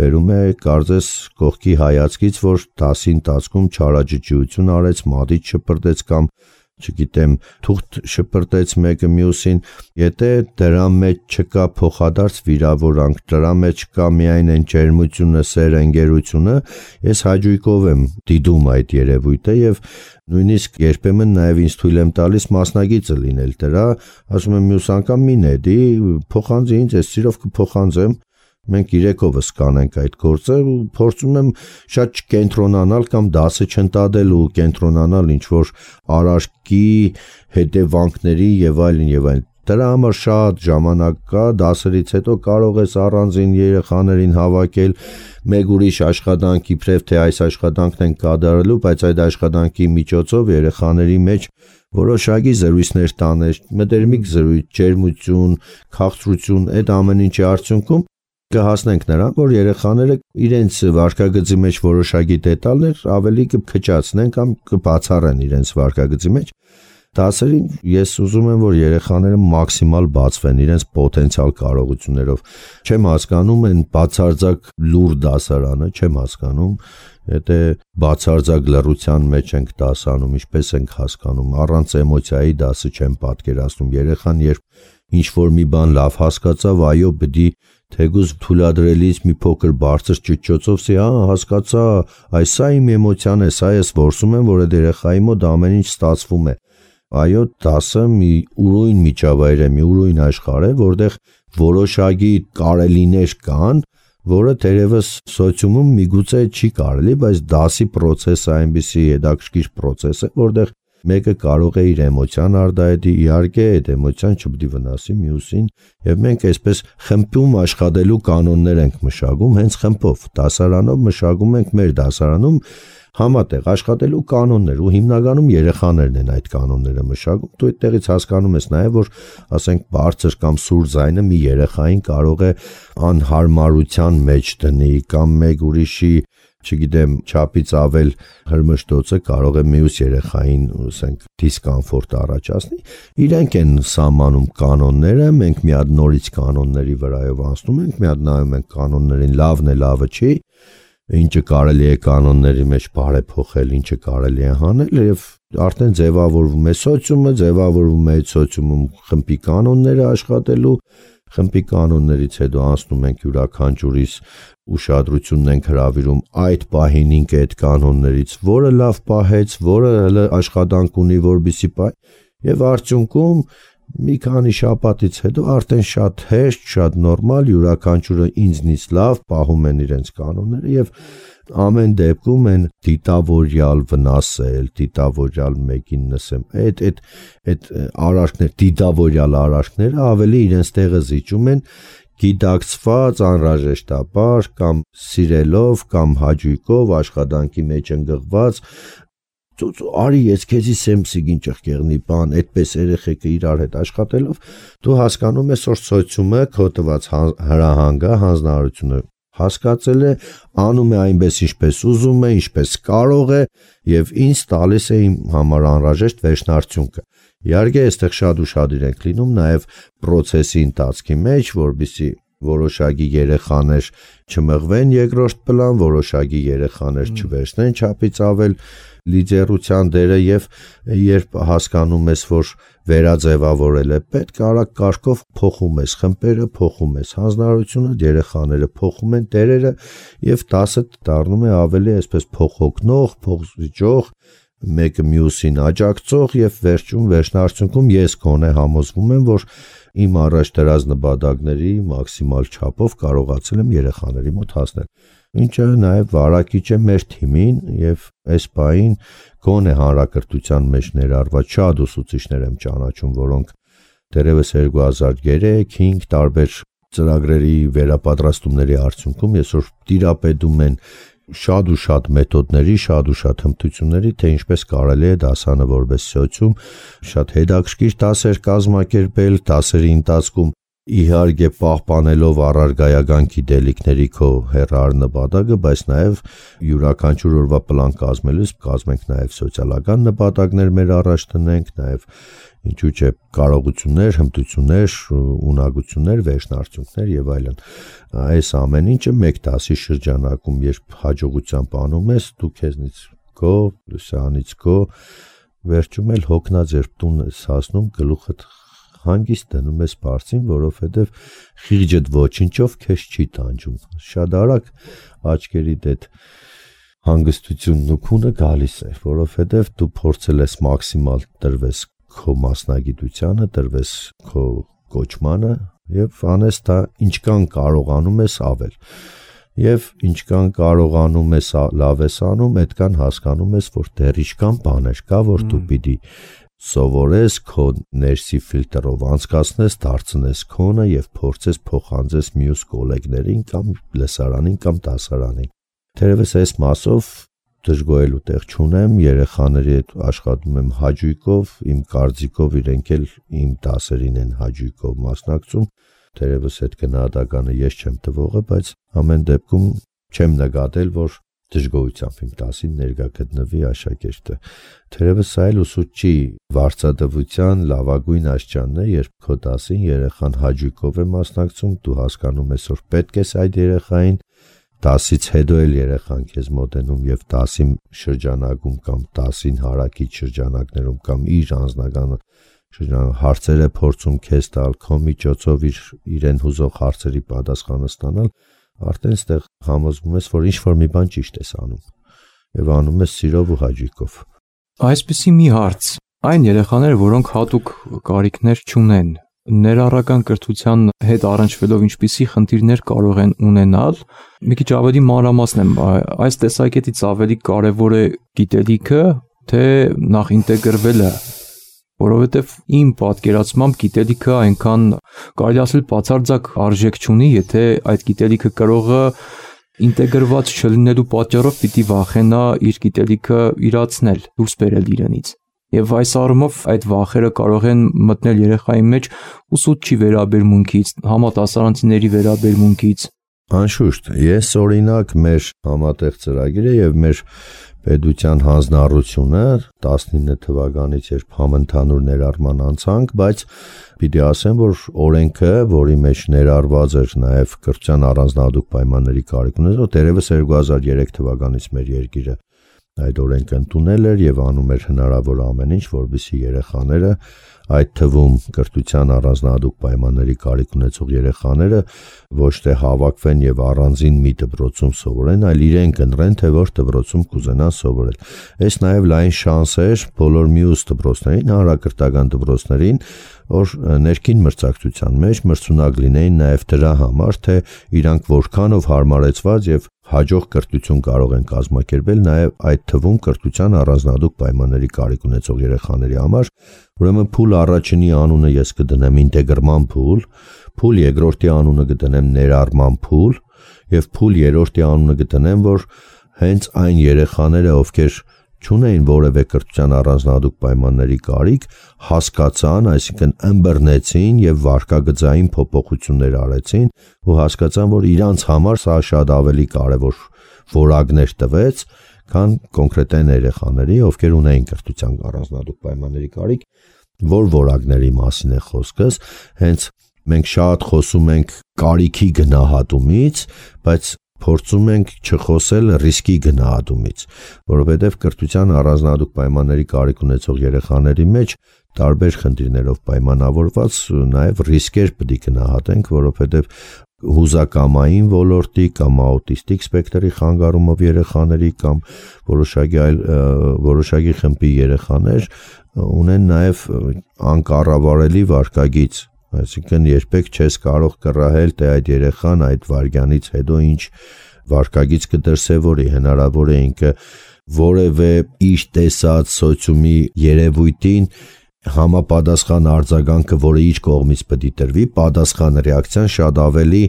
բերում է կարծես կողքի հայացքից, որ դասի ընթացքում չարաճճիություն արեց, մադիտ շպրտեց կամ չգիտեմ, թուղթ շպրտեց մեկը մյուսին, եթե դրա մեջ չկա փոխադարձ վիրավորանք, դրա մեջ կա միայն այն ջերմությունը, սերը, ընկերությունը, ես հաճույքով եմ դիտում այդ երևույթը եւ նույնիսկ երբեմն նաեւ ինձ թույլ եմ տալիս մասնագիծը լինել դրա, ասում եմ մյուս անգամ մի նետի, փոխանցի ինձ, ես սիրով կփոխանցեմ, Մենք 3-ovս կանենք այդ գործը ու փորձում եմ շատ չկենտրոնանալ կամ դասը չընտադել ու կենտրոնանալ ինչ-որ արարքի հետևանքների եւ այլն։ Դրա համար շատ ժամանակ կա, դասերից հետո կարող ես առանձին երեխաներին հավաքել մեկ ուրիշ աշխատանք իբրև թե այս աշխատանքն են կատարելու, բայց այդ աշխատանքի միջոցով երեխաների մեջ որոշակի զրույցներ տանել, մտերմիկ զրույց, ջերմություն, քաղցրություն, այդ ամեն ինչի արդյունքում կհասնենք նրան, որ երեխաները իրենց վարքագծի մեջ որոշակի դետալներ ավելի կփչացնեն կամ կբացառեն իրենց վարքագծի մեջ։ Դասերին ես ուզում եմ, որ երեխաները մաքսիմալ բացվեն իրենց պոտենցիալ կարողություններով։ Չեմ հասկանում այն բացարձակ լուր դասարանը, չեմ հասկանում, եթե բացարձակ լռության մեջ ենք դասանում, ինչպես ենք հասկանում, առանց էմոցիայի դասը չեմ պատկերացնում։ Երեխան երբ ինչ-որ մի բան լավ հասկացավ, այո, բդի թեգուզ թույլատրելիս մի փոքր բարձր ճուճոցով ասի, հասկացա, այս սա իմ էմոցիան է, սա ես որսում եմ, որ այդ երեխայի մոտ ամեն ինչ ստացվում է։ Այո, դասը մի ուրույն միջավայր է, մի ուրույն աշխարհ է, որտեղ որոշակի կարելիներ կան, որը թերևս սոցիումում միգուցե չի կարելի, բայց դասի process-ը այնպիսի հետաքրքիր process է, որտեղ մեկը կարող է իր էմոցիան արտահայտի, իհարկե այդ էմոցիան չպետք է վնասի մյուսին, եւ մենք այսպես խմբում աշխատելու կանոններ ենք մշակում, հենց խմբով, դասարանով մշակում ենք մեր դասարանում համատեղ աշխատելու կանոններ ու հիմնականում երեխաներն են այդ կանոնները մշակում։ Դու այդտեղից հասկանում ես նաև, որ ասենք բարձր կամ սուր ձայնը մի երեխային կարող է անհարմարության մեջ դնի կամ մեկ ուրիշի, չգիտեմ, չափից ավել հրմշտոցը կարող է մյուս երեխային, ասենք, դիսկոմֆորտ առաջացնի։ Իրենք են սահմանում կանոնները, մենք մի հատ նորից կանոնների վրայով անցնում ենք, մի հատ նայում ենք կանոններին, լավն է, լավը չի, ինչը կարելի է կանոնների մեջ բարեփոխել, ինչը կարելի է հանել եւ արդեն ձևավորվում է սոցիումը, ձևավորվում է սոցիումում խմբի կանոնները աշխատելու, խմբի կանոններից հետո անցնում ենք յուրաքանչյուրիս ուշադրությունն ենք հրավիրում այդ պահին ինքը այդ կանոններից, որը լավ պահեց, որը հələ աշխատանք ունի, որպեսզի պահի եւ արդյունքում մի քանի շաբաթից հետո արդեն շատ հեշտ, շատ նորմալ յուրաքանչյուրը ինձնից լավ պահում են իրենց կանոնները եւ ամեն դեպքում են դիտավորյալ վնասել, դիտավորյալ մեկին նսեմ։ Այդ արարքներ, դիտավորյալ արարքները ավելի իրենց տեղը զիջում են գիտակցված անհրաժեշտաբար կամ սիրելով կամ հաճույքով աշխատանքի մեջ ընկղված արի ես քեզի սեմսիգին ճղկեղնի բան, այդպես երեխեքը իրար հետ աշխատելով դու հասկանում ես, որ սոցիումը քո տված հրահանգը, հանձնարարությունը հասկացել է, անում է այնպես ինչպես ուզում է, ինչպես կարող է եւ ինձ տալիս է իմ համար անհրաժեշտ վերջնարդյունքը։ Իհարկե, այստեղ շատ ուշադիր ենք լինում նաեւ process-ի ընթացքի մեջ, որբիսի որոշակի երեխաներ չմղվեն երկրորդ պլան, որոշակի երեխաներ չվերցնեն չափից ավել լիդերության դերը եւ երբ հասկանում ես, որ վերաձևավորել է պետք, արագ կարգով փոխում ես խմբերը, փոխում ես հանձնարարությունը, երեխաները փոխում են դերերը եւ դասը դառնում է ավելի այսպես փոխօգնող, փոխզիջող, մեկը մյուսին աջակցող եւ վերջնարդյունքում ես գոնե համոզվում եմ, որ իմ առաջ դրած նպատակների մաքսիմալ չափով կարողացել եմ երեխաների մոտ հասնել։ Ինչը նաև վարակիչ է մեր թիմին եւ այս պահին գոնե հանրակրթության մեջ ներառված շատ ուսուցիչներ եմ ճանաչում, որոնք դեռևս 2003-5 տարբեր ծրագրերի վերապատրաստումների արդյունքում այսօր տիրապետում են շատ ու շատ մեթոդների, շատ ու շատ հմտությունների, թե ինչպես կարելի է դասանը որպես սոցիում շատ հետաքրքիր դասեր կազմակերպել, դասերի ընթացքում իհարկե պահպանելով առարգայական գիտելիքների քո հեռար նպատակը, բայց նաև յուրաքանչյուր օրվա պլան կազմելուց կազմենք նաև սոցիալական նպատակներ մեր առաջ տնենք, նաև ինչու՞ չէ կարողություններ, հմտություններ, ունակություններ, վերջնարդյունքներ եւ այլն։ Այս ամեն ինչը մեկ դասի շրջանակում, երբ հաջողությամբ անում ես, դու քեզնից գո, լուսանից գո, վերջում էլ հոգնած երբ տուն ես հասնում, գլուխդ հանգիստ դնում ես բարձին, որովհետև խիղճդ ոչինչով քեզ չի տանջում։ Շատ արագ աչքերիդ այդ հանգստությունն ու քունը գալիս է, որովհետև դու փորձել ես մաքսիմալ տրվես քո մասնագիտությանը, տրվես քո կոչմանը եւ անես դա ինչքան կարողանում ես ավել։ Եվ ինչքան կարողանում ես լավ ես անում, այդքան հասկանում ես, որ դեռ ինչքան բաներ կա, որ դու պիտի սովորես քո ներսի ֆիլտրով անցկացնես, դարձնես քոնը եւ փորձես փոխանցես մյուս գոլեգներին կամ լսարանին կամ դասարանին։ Թերևս այս մասով դժգոհելու տեղ չունեմ, երեխաների հետ աշխատում եմ հաճույքով, իմ կարծիքով իրենք էլ իմ դասերին են հաճույքով մասնակցում։ Թերևս այդ գնահատականը ես չեմ տվողը, բայց ամեն դեպքում չեմ նկատել, որ դժգոհությամբ իմ դասին ներկա գտնվի աշակերտը։ Թերևս սա էլ ուսուցչի վարձատրության լավագույն աստիճանն է, երբ քո դասին երեխան հաճույքով է մասնակցում, դու հասկանում ես, որ պետք է այդ երեխային դասից հետո էլ երեխան քեզ մոտենում եւ դասի շրջանակում կամ դասին հարակից շրջանակներում կամ իր անձնական հարցերը փորձում քեզ տալ, քո միջոցով իրեն հուզող հարցերի պատասխանը ստանալ, արդեն այստեղ համոզվում ես, որ ինչ-որ մի բան ճիշտ ես անում եւ անում ես սիրով ու հաճույքով։ Այսպիսի մի հարց. այն երեխաները, որոնք հատուկ կարիքներ չունեն, ներառական կրթության հետ առնչվելով ինչպիսի խնդիրներ կարող են ունենալ, մի քիչ ավելի մանրամասն եմ, այս տեսակետից ավելի կարևոր է գիտելիքը, թե նախ ինտեգրվելը, որովհետև իմ պատկերացմամբ գիտելիքը այնքան կարելի ասել բացարձակ արժեք չունի, եթե այդ գիտելիքը կրողը ինտեգրված չլինելու պատճառով պիտի վախենա իր գիտելիքը իրացնել, դուրս բերել իրենից։ Եվ այս առումով այդ վախերը կարող են մտնել երեխայի մեջ ուսուցչի վերաբերմունքից, համադասարանցիների վերաբերմունքից։ Անշուշտ, ես օրինակ մեր համատեղ ծրագիրը եւ մեր պետության հանձնառությունը 19 թվականից երբ համընդհանուր ներառման անցանք, բայց պիտի ասեմ, որ օրենքը, որի մեջ ներառված էր նաեւ կրթության առանձնահատուկ պայմանների կարիք ունեցող, դերևս 2003 թվականից մեր երկիրը այդ օրենքը ընդունել էր եւ անում էր հնարավոր ամեն ինչ, որպեսզի երեխաները, այդ թվում կրթության առանձնահատուկ պայմանների կարիք ունեցող երեխաները ոչ թե հավաքվեն եւ առանձին մի դպրոցում սովորեն, այլ իրենք ընտրեն, թե որ դպրոցում կուզենան սովորել։ Այս նաեւ լայն շանս էր բոլոր մյուս դպրոցներին, հանրակրթական դպրոցներին, որ ներքին մրցակցության մեջ մրցունակ լինեին նաեւ դրա համար, թե իրանք որքանով հարմարեցված եւ հաջող կրթություն կարող են կազմակերպել նաև այդ թվում կրթության առանձնահատուկ պայմանների կարիք ունեցող երեխաների համար, ուրեմն փուլ առաջինի անունը ես կդնեմ ինտեգրման փուլ, փուլ երկրորդի անունը կդնեմ ներառման փուլ եւ փուլ երրորդի անունը կդնեմ, որ հենց այն երեխաները, ովքեր չունեին որևէ կրթության առանձնահատուկ պայմանների կարիք, հասկացան, այսինքն ըմբռնեցին եւ վարկագծային փոփոխություններ արեցին ու հասկացան, որ իրանց համար սա շատ ավելի կարեւոր որակներ տվեց, քան կոնկրետ երեխաների, ովքեր ունեին կրթության առանձնահատուկ պայմանների կարիք, որ որակների մասին է խոսքս, հենց մենք շատ խոսում ենք կարիքի գնահատումից, բայց փորձում ենք չխոսել ռիսկի գնահատումից, որովհետև կրթության առանձնահատուկ պայմանների կարիք ունեցող երեխաների մեջ տարբեր խնդիրներով պայմանավորված նաև ռիսկեր պետք է գնահատենք, որովհետև հուզակամային ոլորտի կամ աուտիստիկ սպեկտրի խանգարումով երեխաների կամ որոշակի խմբի երեխաներ ունեն նաև անկառավարելի վարկագիծ, այսինքն երբեք չես կարող կռահել, թե այդ երեխան այդ վարքյանից հետո ինչ վարկագիծ կդրսևորի, հնարավոր է ինքը որևէ իր տեսած սոցիումի երևույթին համապատասխան արձագանքը, որը իր կողմից պետք է տրվի, պատասխան ռեակցիան շատ ավելի,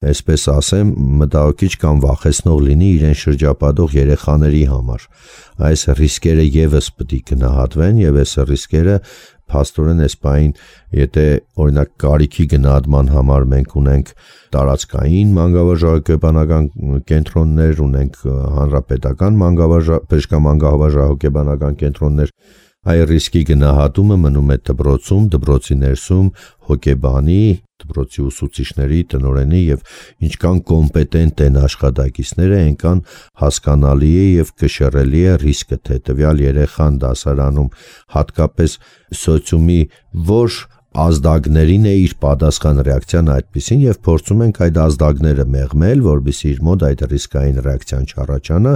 այսպես ասեմ, մտահոգիչ կամ վախեցնող լինի իրեն շրջապատող երեխաների համար։ Այս ռիսկերը եւս պետք է գնահատվեն եւ այս ռիսկերը փաստորեն այս բային, եթե օրինակ կարիքի գնահատման համար մենք ունենք տարածքային մանկավարժահոգեբանական կենտրոններ, ունենք հանրապետական բժշկամանկավարժահոգեբանական կենտրոններ, այ ռիսկի գնահատումը մնում է դպրոցում, դպրոցի ներսում հոգեբանի, դպրոցի ուսուցիչների, տնօրենի եւ ինչքան կոմպետենտ են աշխատակիցները, այնքան հասկանալի է եւ կշռելի է ռիսկը, թե տվյալ երեխան դասարանում հատկապես սոցիումի որ ազդակներին է իր պատասխան ռեակցիան այդպեսին եւ փորձում ենք այդ ազդակները մեղմել, որպեսզի իր մոտ այդ ռիսկային ռեակցիան չառաջանա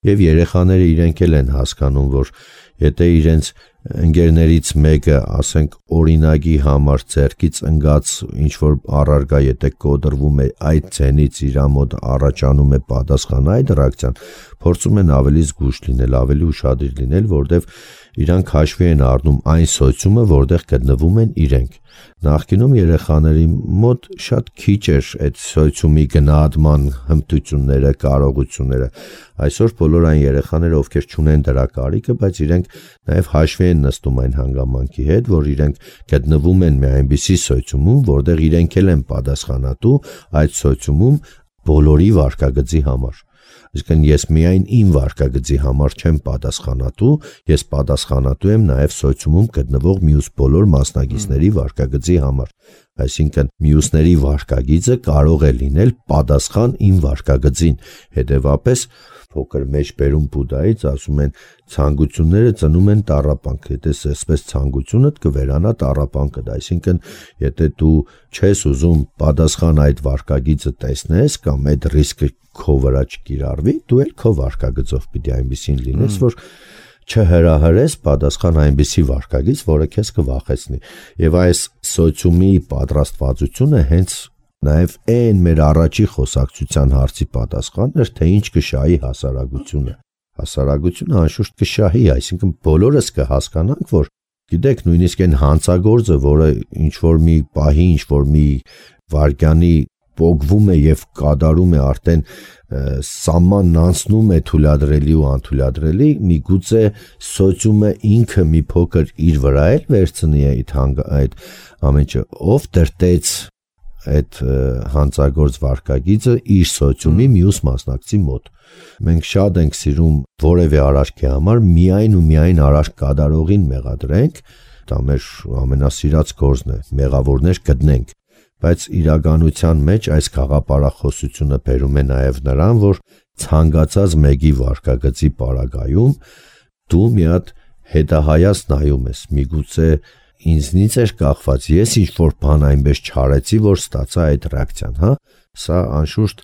եւ երեխաները իրենք էլ են հասկանում, որ եթե իրենց ընկերներից մեկը, ասենք, օրինագի համար ձեռքից ընկած ինչ-որ առարգա եթե կոդրվում է այդ ցենից իր մոտ առաջանում է պատասխան այդ ռեակցիան, փորձում են ավելի զգույշ լինել, ավելի ուշադիր լինել, որտեվ իրանք հաշվի են առնում այն սոցիումը, որտեղ գտնվում են իրենք։ Նախկինում երեխաների մոտ շատ քիչ էր այդ սոցիումի գնահատման հմտությունները, կարողությունները։ Այսօր բոլոր այն երեխաները, ովքեր չունեն դրա կարիքը, բայց իրենք նաև հաշվի են նստում այն հանգամանքի հետ, որ իրենք գտնվում են մի այնպիսի սոցիումում, որտեղ իրենք էլ են պատասխանատու այդ սոցիումում բոլորի վարքագծի համար։ Այսինքն ես միայն իմ վարքագծի համար չեմ պատասխանատու, ես պատասխանատու եմ նաև սոցիումում գտնվող մյուս բոլոր մասնակիցների վարքագծի համար։ Այսինքն մյուսների վարքագիծը կարող է լինել պատասխան իմ վարքագծին։ Հետևաբար փոքր մեջբերում Բուդդայից ասում են ցանկությունները ծնում են տառապանք, եթե այսպես ցանկությունդ կվերանա տառապանքդ, այսինքն եթե դու չես ուզում պատասխան այդ վարքագիծը տեսնես կամ այդ ռիսկը քո վրա չկիրառվի, դու էլ քո վարքագծով պիտի այնպեսին լինես, որ չհրահրես պատասխան այնպեսի վարքագիծ, որը քեզ կվախեցնի։ Եվ այս սոցիումի պատրաստվածությունը հենց նաև այն մեր առաջի խոսակցության հարցի պատասխանն էր, թե ինչ կշահի հասարակությունը։ Հասարակությունը անշուշտ կշահի, այսինքն բոլորս կհասկանանք, որ գիտեք, նույնիսկ այն հանցագործը, որը ինչ-որ մի պահի, ինչ-որ մի վարկյանի պոկվում է եւ կատարում է արդեն սահմանն անցնում է թույլատրելի ու անթույլատրելի, միգուցե սոցիումը ինքը մի փոքր իր վրա էլ վերցնի այդ ամեն ինչը, ով դրտեց այդ հանցագործ վարքագիծը իր սոցիումի մյուս մասնակցի մոտ։ Մենք շատ ենք սիրում որևէ արարքի համար միայն ու միայն արարք կատարողին մեղադրենք, դա մեր ամենասիրած գործն է, մեղավորներ գտնենք, բայց իրականության մեջ այս գաղափարախոսությունը բերում է նաև նրան, որ ցանկացած մեկի վարքագծի պարագայում դու մի հատ հետահայաց նայում ես, միգուցե ինձնից էր կախված, ես ինչ-որ բան այնպես չարեցի, որ ստացա այդ ռեակցիան, հա։ Սա անշուշտ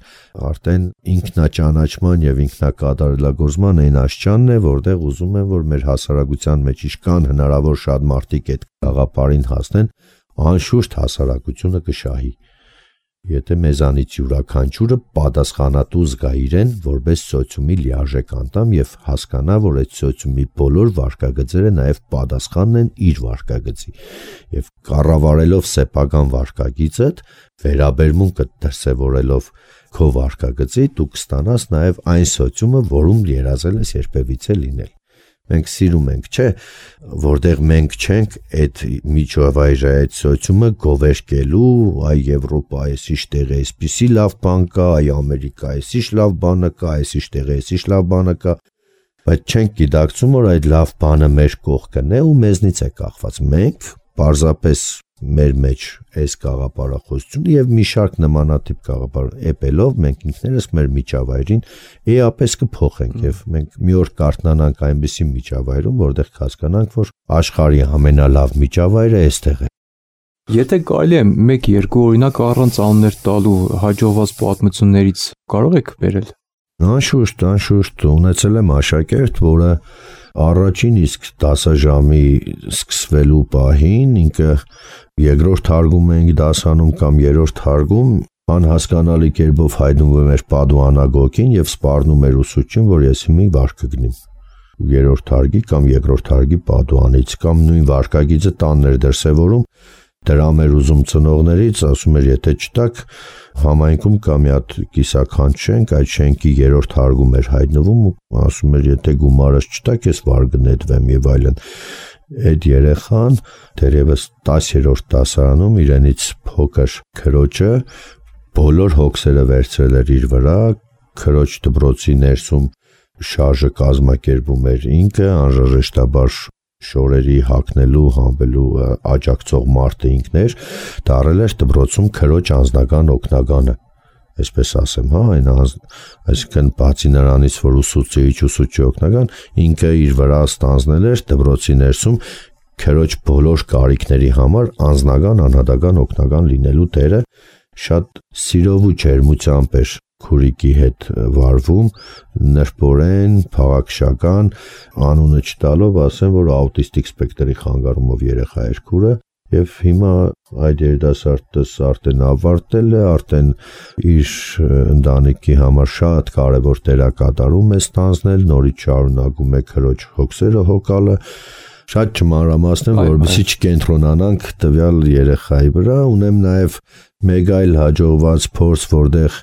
արդեն ինքնաճանաչման եւ ինքնակատարելագործման այն աշճանն է, որտեղ ուզում են, որ մեր հասարակության մեջ իշքան հնարավոր շատ մարդիկ այդ գաղափարին հասնեն, անշուշտ հասարակությունը կշահի։ Եթե մեզանից յուրաքանչյուրը պատասխանատու զգա իրեն որպես սոցիումի լիարժեք անդամ եւ հասկանա, որ այդ սոցիումի բոլոր վարքագծերը նաեւ պատասխանն են իր վարքագծի եւ կառավարելով սեփական վարքագիծդ վերաբերմունքը դրսևորելով քո վարքագծի դու կստանաս նաեւ այն սոցիումը, որում երազել ես երբևիցե լինել։ Մենք սիրում ենք, չէ, որտեղ մենք չենք այդ միջավայրը, այդ սոցիումը գովերքելու, այ Եվրոպա այսիշ տեղ է, այսպիսի լավ բան կա, այ Ամերիկա այսիշ լավ բանը կա, այսիշ տեղ է, այսիշ լավ բանը կա, բայց չենք գիտակցում, որ այդ լավ բանը մեր կողքն է ու մեզնից է կախված։ Մենք պարզապես մեր մեջ այս գաղափարախոսությունը եւ մի շարք նմանատիպ գաղափար էպելով մենք ինքներս մեր միջավայրին էապես կփոխենք եւ մենք մի օր կարտնանանք այնպիսի միջավայրում, որտեղ հասկանանք, որ աշխարհի ամենալավ միջավայրը այստեղ է։ Եթե կարելի է 1-2 օրինակ առանց անուններ տալու հաջողված պատմություններից կարող եք բերել։ Անշուշտ ունեցել եմ աշակերտ, որը առաջին իսկ 10 ժամի սկսվելու պահին ինքը երկրորդ թարգում էինք դասանում կամ երրորդ թարգում անհասկանալի կերպով հայտնվում էր Պադուանագոկին եւ սպառնում էր ուսուցչին, որ ես մի վարք կգնեմ երրորդ թարգի կամ երկրորդ թարգի Պադուանից կամ նույն վարկագիծը տանն էր դրսևորում դրամ էր ուզում ծնողներից, ասում էր եթե չտակ համայնքում կա մի հատ կիսաքանչ շենք, այդ շենքի երրորդ թարգում էր հայտնվում ու ասում էր եթե գումարս չտակ ես վար կնետվեմ եւ այլն։ Այդ երեխան դեռևս 10-րդ դասարանում իրենից փոքր քրոջը բոլոր հոգսերը վերցրել էր իր վրա, քրոջ դպրոցի ներսում շարժը կազմակերպում էր ինքը անհրաժեշտաբար շորերի հագնելու, հանվելու աջակցող մարդը ինքն էր, դարել էր դպրոցում քրոջ անձնական օգնականը, այսպես ասեմ, հա, այսինքն բացի նրանից, որ ուսուցիչ օգնական, ինքը իր վրա ստանձնել էր դպրոցի ներսում քրոջ բոլոր կարիքների համար անձնական, անհատական օգնական լինելու դերը շատ սիրով ու ջերմությամբ էր քուրիկի հետ վարվում, նրբորեն, փաղաքշական, անունը չտալով ասեմ, որ աուտիստիկ սպեկտրի խանգարումով երեխա էր քուրը, եւ հիմա այդ երիտասարդս արդեն ավարտել է, արդեն իր ընտանիքի համար շատ կարևոր դերակատարում է ստանձնել, նորից շարունակում է քրոջ հոգսերը հոգալը, շատ չմանրամասնեմ, որովհետեւ չկենտրոնանանք տվյալ երեխայի վրա, ունեմ նաեւ մեկ այլ հաջողված փորձ, որտեղ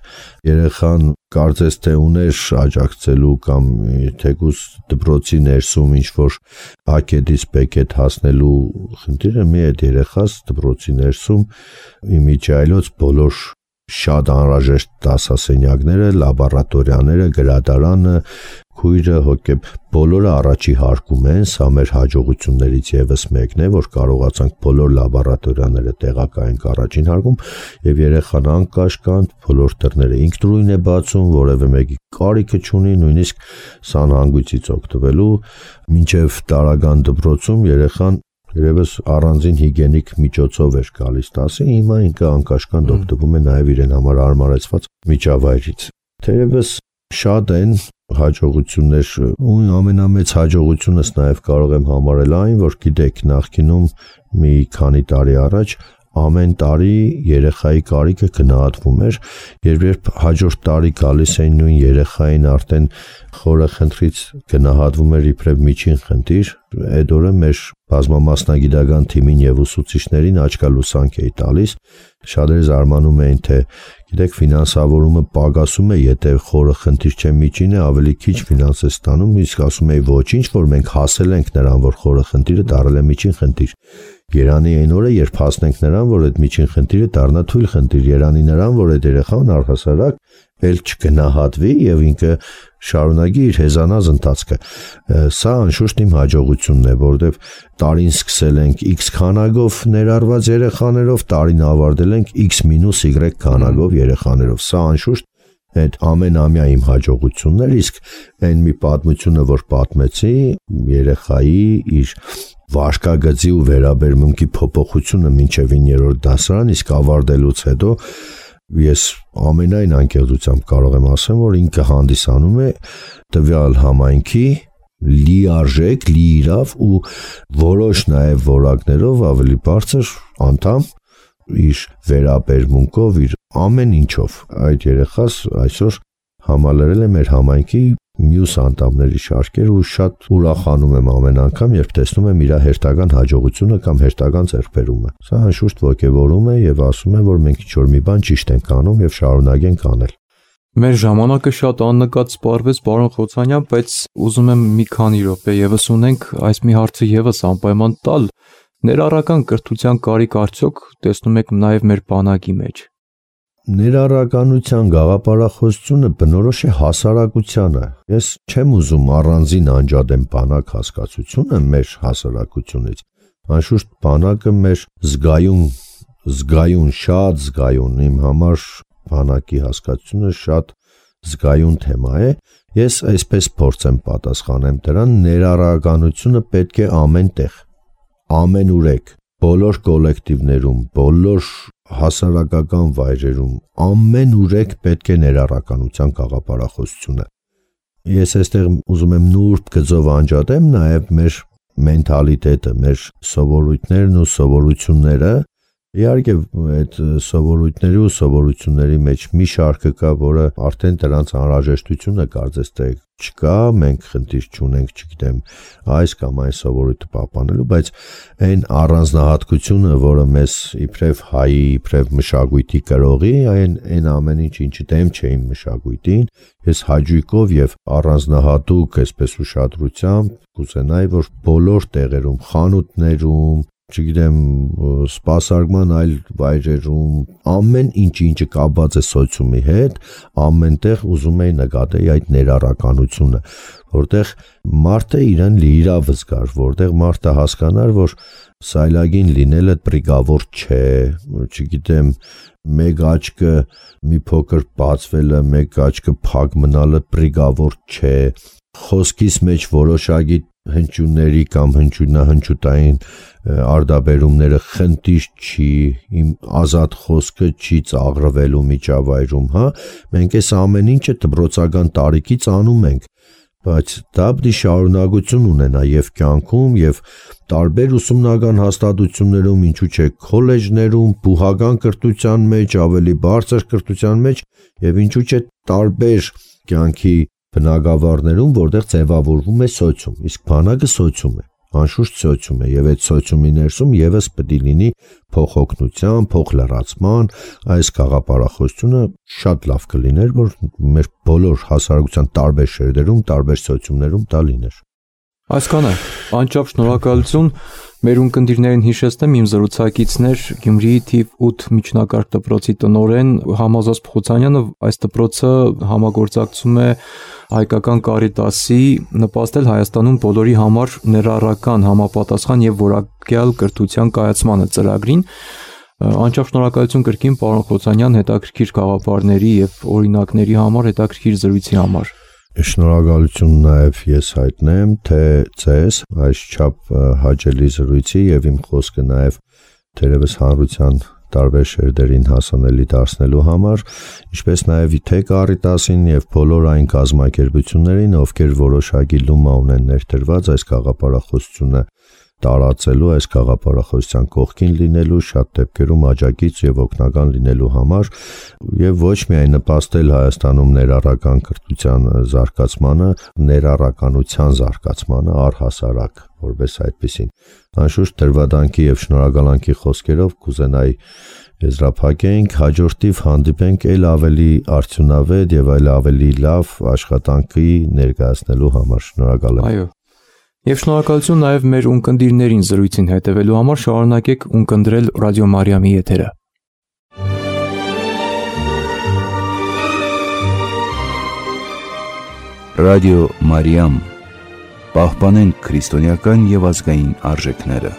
երեխան կարծես թե ուներ աջակցելու կամ թեկուզ դպրոցի ներսում ինչ-որ ակետից բեկետ հասնելու խնդիրը մի այդ երեխաս դպրոցի ներսում իմիջիայլոց բոլոր շատ անհրաժեշտ դասասենյակները, լաբորատորիաները, գրադարանը, քույրը, հոգեբ բոլորը առաջի հարկում են, սա մեր հաջողություններից եւս մեկն է, որ կարողացանք բոլոր լաբորատորիաները տեղակայենք առաջին հարկում եւ երեխան անկաշկանդ բոլոր դռները ինքնուրույն է բացում, որևէ մեկի կարիքը չունի, նույնիսկ սանհանգույցից օգտվելու, մինչեւ տարական դպրոցում երեխան երևս առանձին հիգիենիկ միջոցով էր գալիս դասի, հիմա ինքը անկաշկանդ օգտվում է նաև իրեն համար հարմարեցված միջավայրից։ Թերևս շատ են հաջողություններ, ու ամենամեծ հաջողությունս նաև կարող եմ համարել այն, որ գիտեք, նախկինում մի քանի տարի առաջ ամեն տարի երեխայի կարիքը գնահատվում էր, երբ հաջորդ տարի գալիս էին նույն երեխային արդեն խորը խնդրից գնահատվում էր իբրև միջին խնդիր, այդ օրը մեր բազմամասնագիտական թիմին եւ ուսուցիչներին աչքալուսանք էի տալիս, շատերը զարմանում էին, թե գիտեք, ֆինանսավորումը պակասում է, եթե խորը խնդիր չէ միջինը, ավելի քիչ ֆինանս է ստանում, իսկ ասում էի ոչինչ, որ մենք հասել ենք նրան, որ խորը խնդիրը դառել է միջին խնդիր։ Երանի այն օրը, երբ հասնենք նրան, որ այդ միջին խնդիրը դառնա թույլ խնդիր, երանի նրան, որ այդ երեխան առհասարակ էլ չգնահատվի եւ ինքը շարունակի իր հեզանած ընթացքը։ Սա անշուշտ իմ հաջողությունն է, որովհետեւ տարին սկսել ենք X քանակով ներառված երեխաներով, տարին ավարտել ենք X-Y քանակով երեխաներով։ Սա անշուշտ այդ ամենամյա իմ հաջողությունն էր, իսկ այն մի պատմությունը, որ պատմեցի, երեխայի իր վարքագծի ու վերաբերմունքի փոփոխությունը մինչև 9-րդ դասարան, իսկ ավարտելուց հետո ես ամենայն անկեղծությամբ կարող եմ ասեմ, որ ինքը հանդիսանում է տվյալ համայնքի լիարժեք, լիիրավ ու որոշ նաև որակներով ավելի բարձր անդամ իր վերաբերմունքով, իր ամեն ինչով։ Այդ երեխաս այսօր համալրել է մեր համայնքի մյուս անդամների շարքեր ու շատ ուրախանում եմ ամեն անգամ, երբ տեսնում եմ իր հերթական հաջողությունը կամ հերթական ձեռքբերումը։ Սա անշուշտ ոգևորում է եւ ասում է, որ մենք ինչ-որ մի բան ճիշտ ենք անում եւ շարունակենք անել։ Մեր ժամանակը շատ աննկատ սպառվեց, պարոն Խոցանյան, բայց ուզում եմ մի քանի րոպե եւս ունենք այս մի հարցը եւս անպայման տալ։ Ներառական կրթության կարիք արդյոք տեսնում եք նաեւ մեր բանակի մեջ։ Ներառականության գաղափարախոսությունը բնորոշ է հասարակությանը։ Ես չեմ ուզում առանձին անջատեմ բանակ հասկացությունը մեր հասարակությունից։ Անշուշտ բանակը մեր զգայուն, շատ զգայուն, իմ համար բանակի հասկացությունը շատ զգայուն թեմա է։ Ես այսպես փորձեմ պատասխանեմ դրան, ներառականությունը պետք է ամեն տեղ, ամենուրեք, բոլոր կոլեկտիվներում, բոլոր հասարակական վայրերում ամենուրեք պետք է ներառականության գաղափարախոսությունը։ Ես այստեղ ուզում եմ նուրբ գծով անջատեմ նաև մեր մենթալիտետը, մեր սովորույթներն ու սովորությունները։ Իհարկե այդ սովորույթների ու սովորությունների մեջ մի շարքը կա, որը արդեն դրանց անհրաժեշտությունը կարծես թե չկա, մենք խնդիր չունենք, չգիտեմ, այս կամ այն սովորույթը պահպանելու, բայց այն առանձնահատկությունը, որը մեզ իբրև հայի, իբրև մշակույթի կրողի, այն ամեն ինչը դեմ չէ իմ մշակույթին, ես հաճույքով եւ առանձնահատուկ այսպես ուշադրությամբ կուզենայի, որ բոլոր տեղերում, խանութներում, չգիտեմ, սպասարկման այլ վայրերում, ամեն ինչը կապված է սոցիումի հետ, ամենտեղ ուզում էի նկատել այդ ներառականությունը, որտեղ մարդը իրեն լիիրավ զգար, որտեղ մարդը հասկանար, որ սայլագին լինելը պրիգավոր չէ, չգիտեմ, մեկ աչքը մի փոքր բացվելը, մեկ աչքը փակ մնալը պրիգավոր չէ, խոսքիս մեջ որոշակի հնչյունների կամ հնչյունահնչյութային արդաբերումները խնդիր չի, իմ ազատ խոսքը չի ծաղրվելու միջավայրում, հա, մենք այս ամեն ինչը դպրոցական տարիքից անում ենք, բայց դա պետք է շարունակություն ունենա եւ կյանքում եւ տարբեր ուսումնական հաստատություններում, ինչու՞ չէ քոլեջներում, բուհական կրթության մեջ, ավելի բարձր կրթության մեջ եւ ինչու՞ չէ տարբեր կյանքի բնագավառներում, որտեղ ձևավորվում է սոցիում, իսկ բանակը սոցիում է, անշուշտ սոցիում է եւ այդ սոցիումի ներսում եւս պետք է լինի փոխօգնության, փոխլրացման, այս գաղափարախոսությունը շատ լավ կլիներ, որ մեր բոլոր հասարակության տարբեր շերտերում, տարբեր սոցիումներում դա լիներ։ Այսքանը, անչափ շնորհակալություն, մեր ունկնդիրներին հիշեցնեմ իմ զրուցակիցներ Գյումրիի թիվ 8 միջնակարգ դպրոցի տնօրեն Համազոս Փխուցանյանը, այս դպրոցը համագործակցում է Հայկական Կարիտասի նպաստել Հայաստանում բոլորի համար ներառական, համապատասխան եւ որակյալ կրթության կայացմանը ծրագրին։ Անչափ շնորհակալություն կրկին պարոն Փխուցանյան հետաքրքիր գաղափարների եւ օրինակների համար, հետաքրքիր զրույցի համար։ Շնորհակալություն նաև ես հայտնեմ, թե ձեզ այսչափ հաճելի զրույցի եւ իմ խոսքը նաև թերևս հանրության տարբեր շերտերին հասանելի դարձնելու համար, ինչպես նաև թե Կարիտասին եւ բոլոր այն կազմակերպություններին, ովքեր որոշակի լումա ունեն ներդրված այս գաղափարախոսությունը տարածելու, այս գաղափարախոսության կողքին լինելու, շատ դեպքերում աջակից եւ օգնական լինելու համար եւ ոչ միայն նպաստել Հայաստանում ներառական կրթության զարգացմանը, ներառականության զարգացմանը առհասարակ, որպես այդպեսին։ Անշուշտ դրվադանքի եւ շնորհակալանքի խոսքերով կուզենայի եզրափակենք, հաջորդիվ հանդիպենք այլ ավելի արդյունավետ եւ այլ ավելի լավ աշխատանքի ներկայացնելու համար։ Շնորհակալ եմ։ Այո։ Եվ շնորհակալություն նաև մեր ունկնդիրներին զրույցին հետևելու համար, շարունակեք ունկնդրել Ռադիո Մարիամի եթերը։ Ռադիո Մարիամ, պահպանենք քրիստոնեական եւ ազգային արժեքները։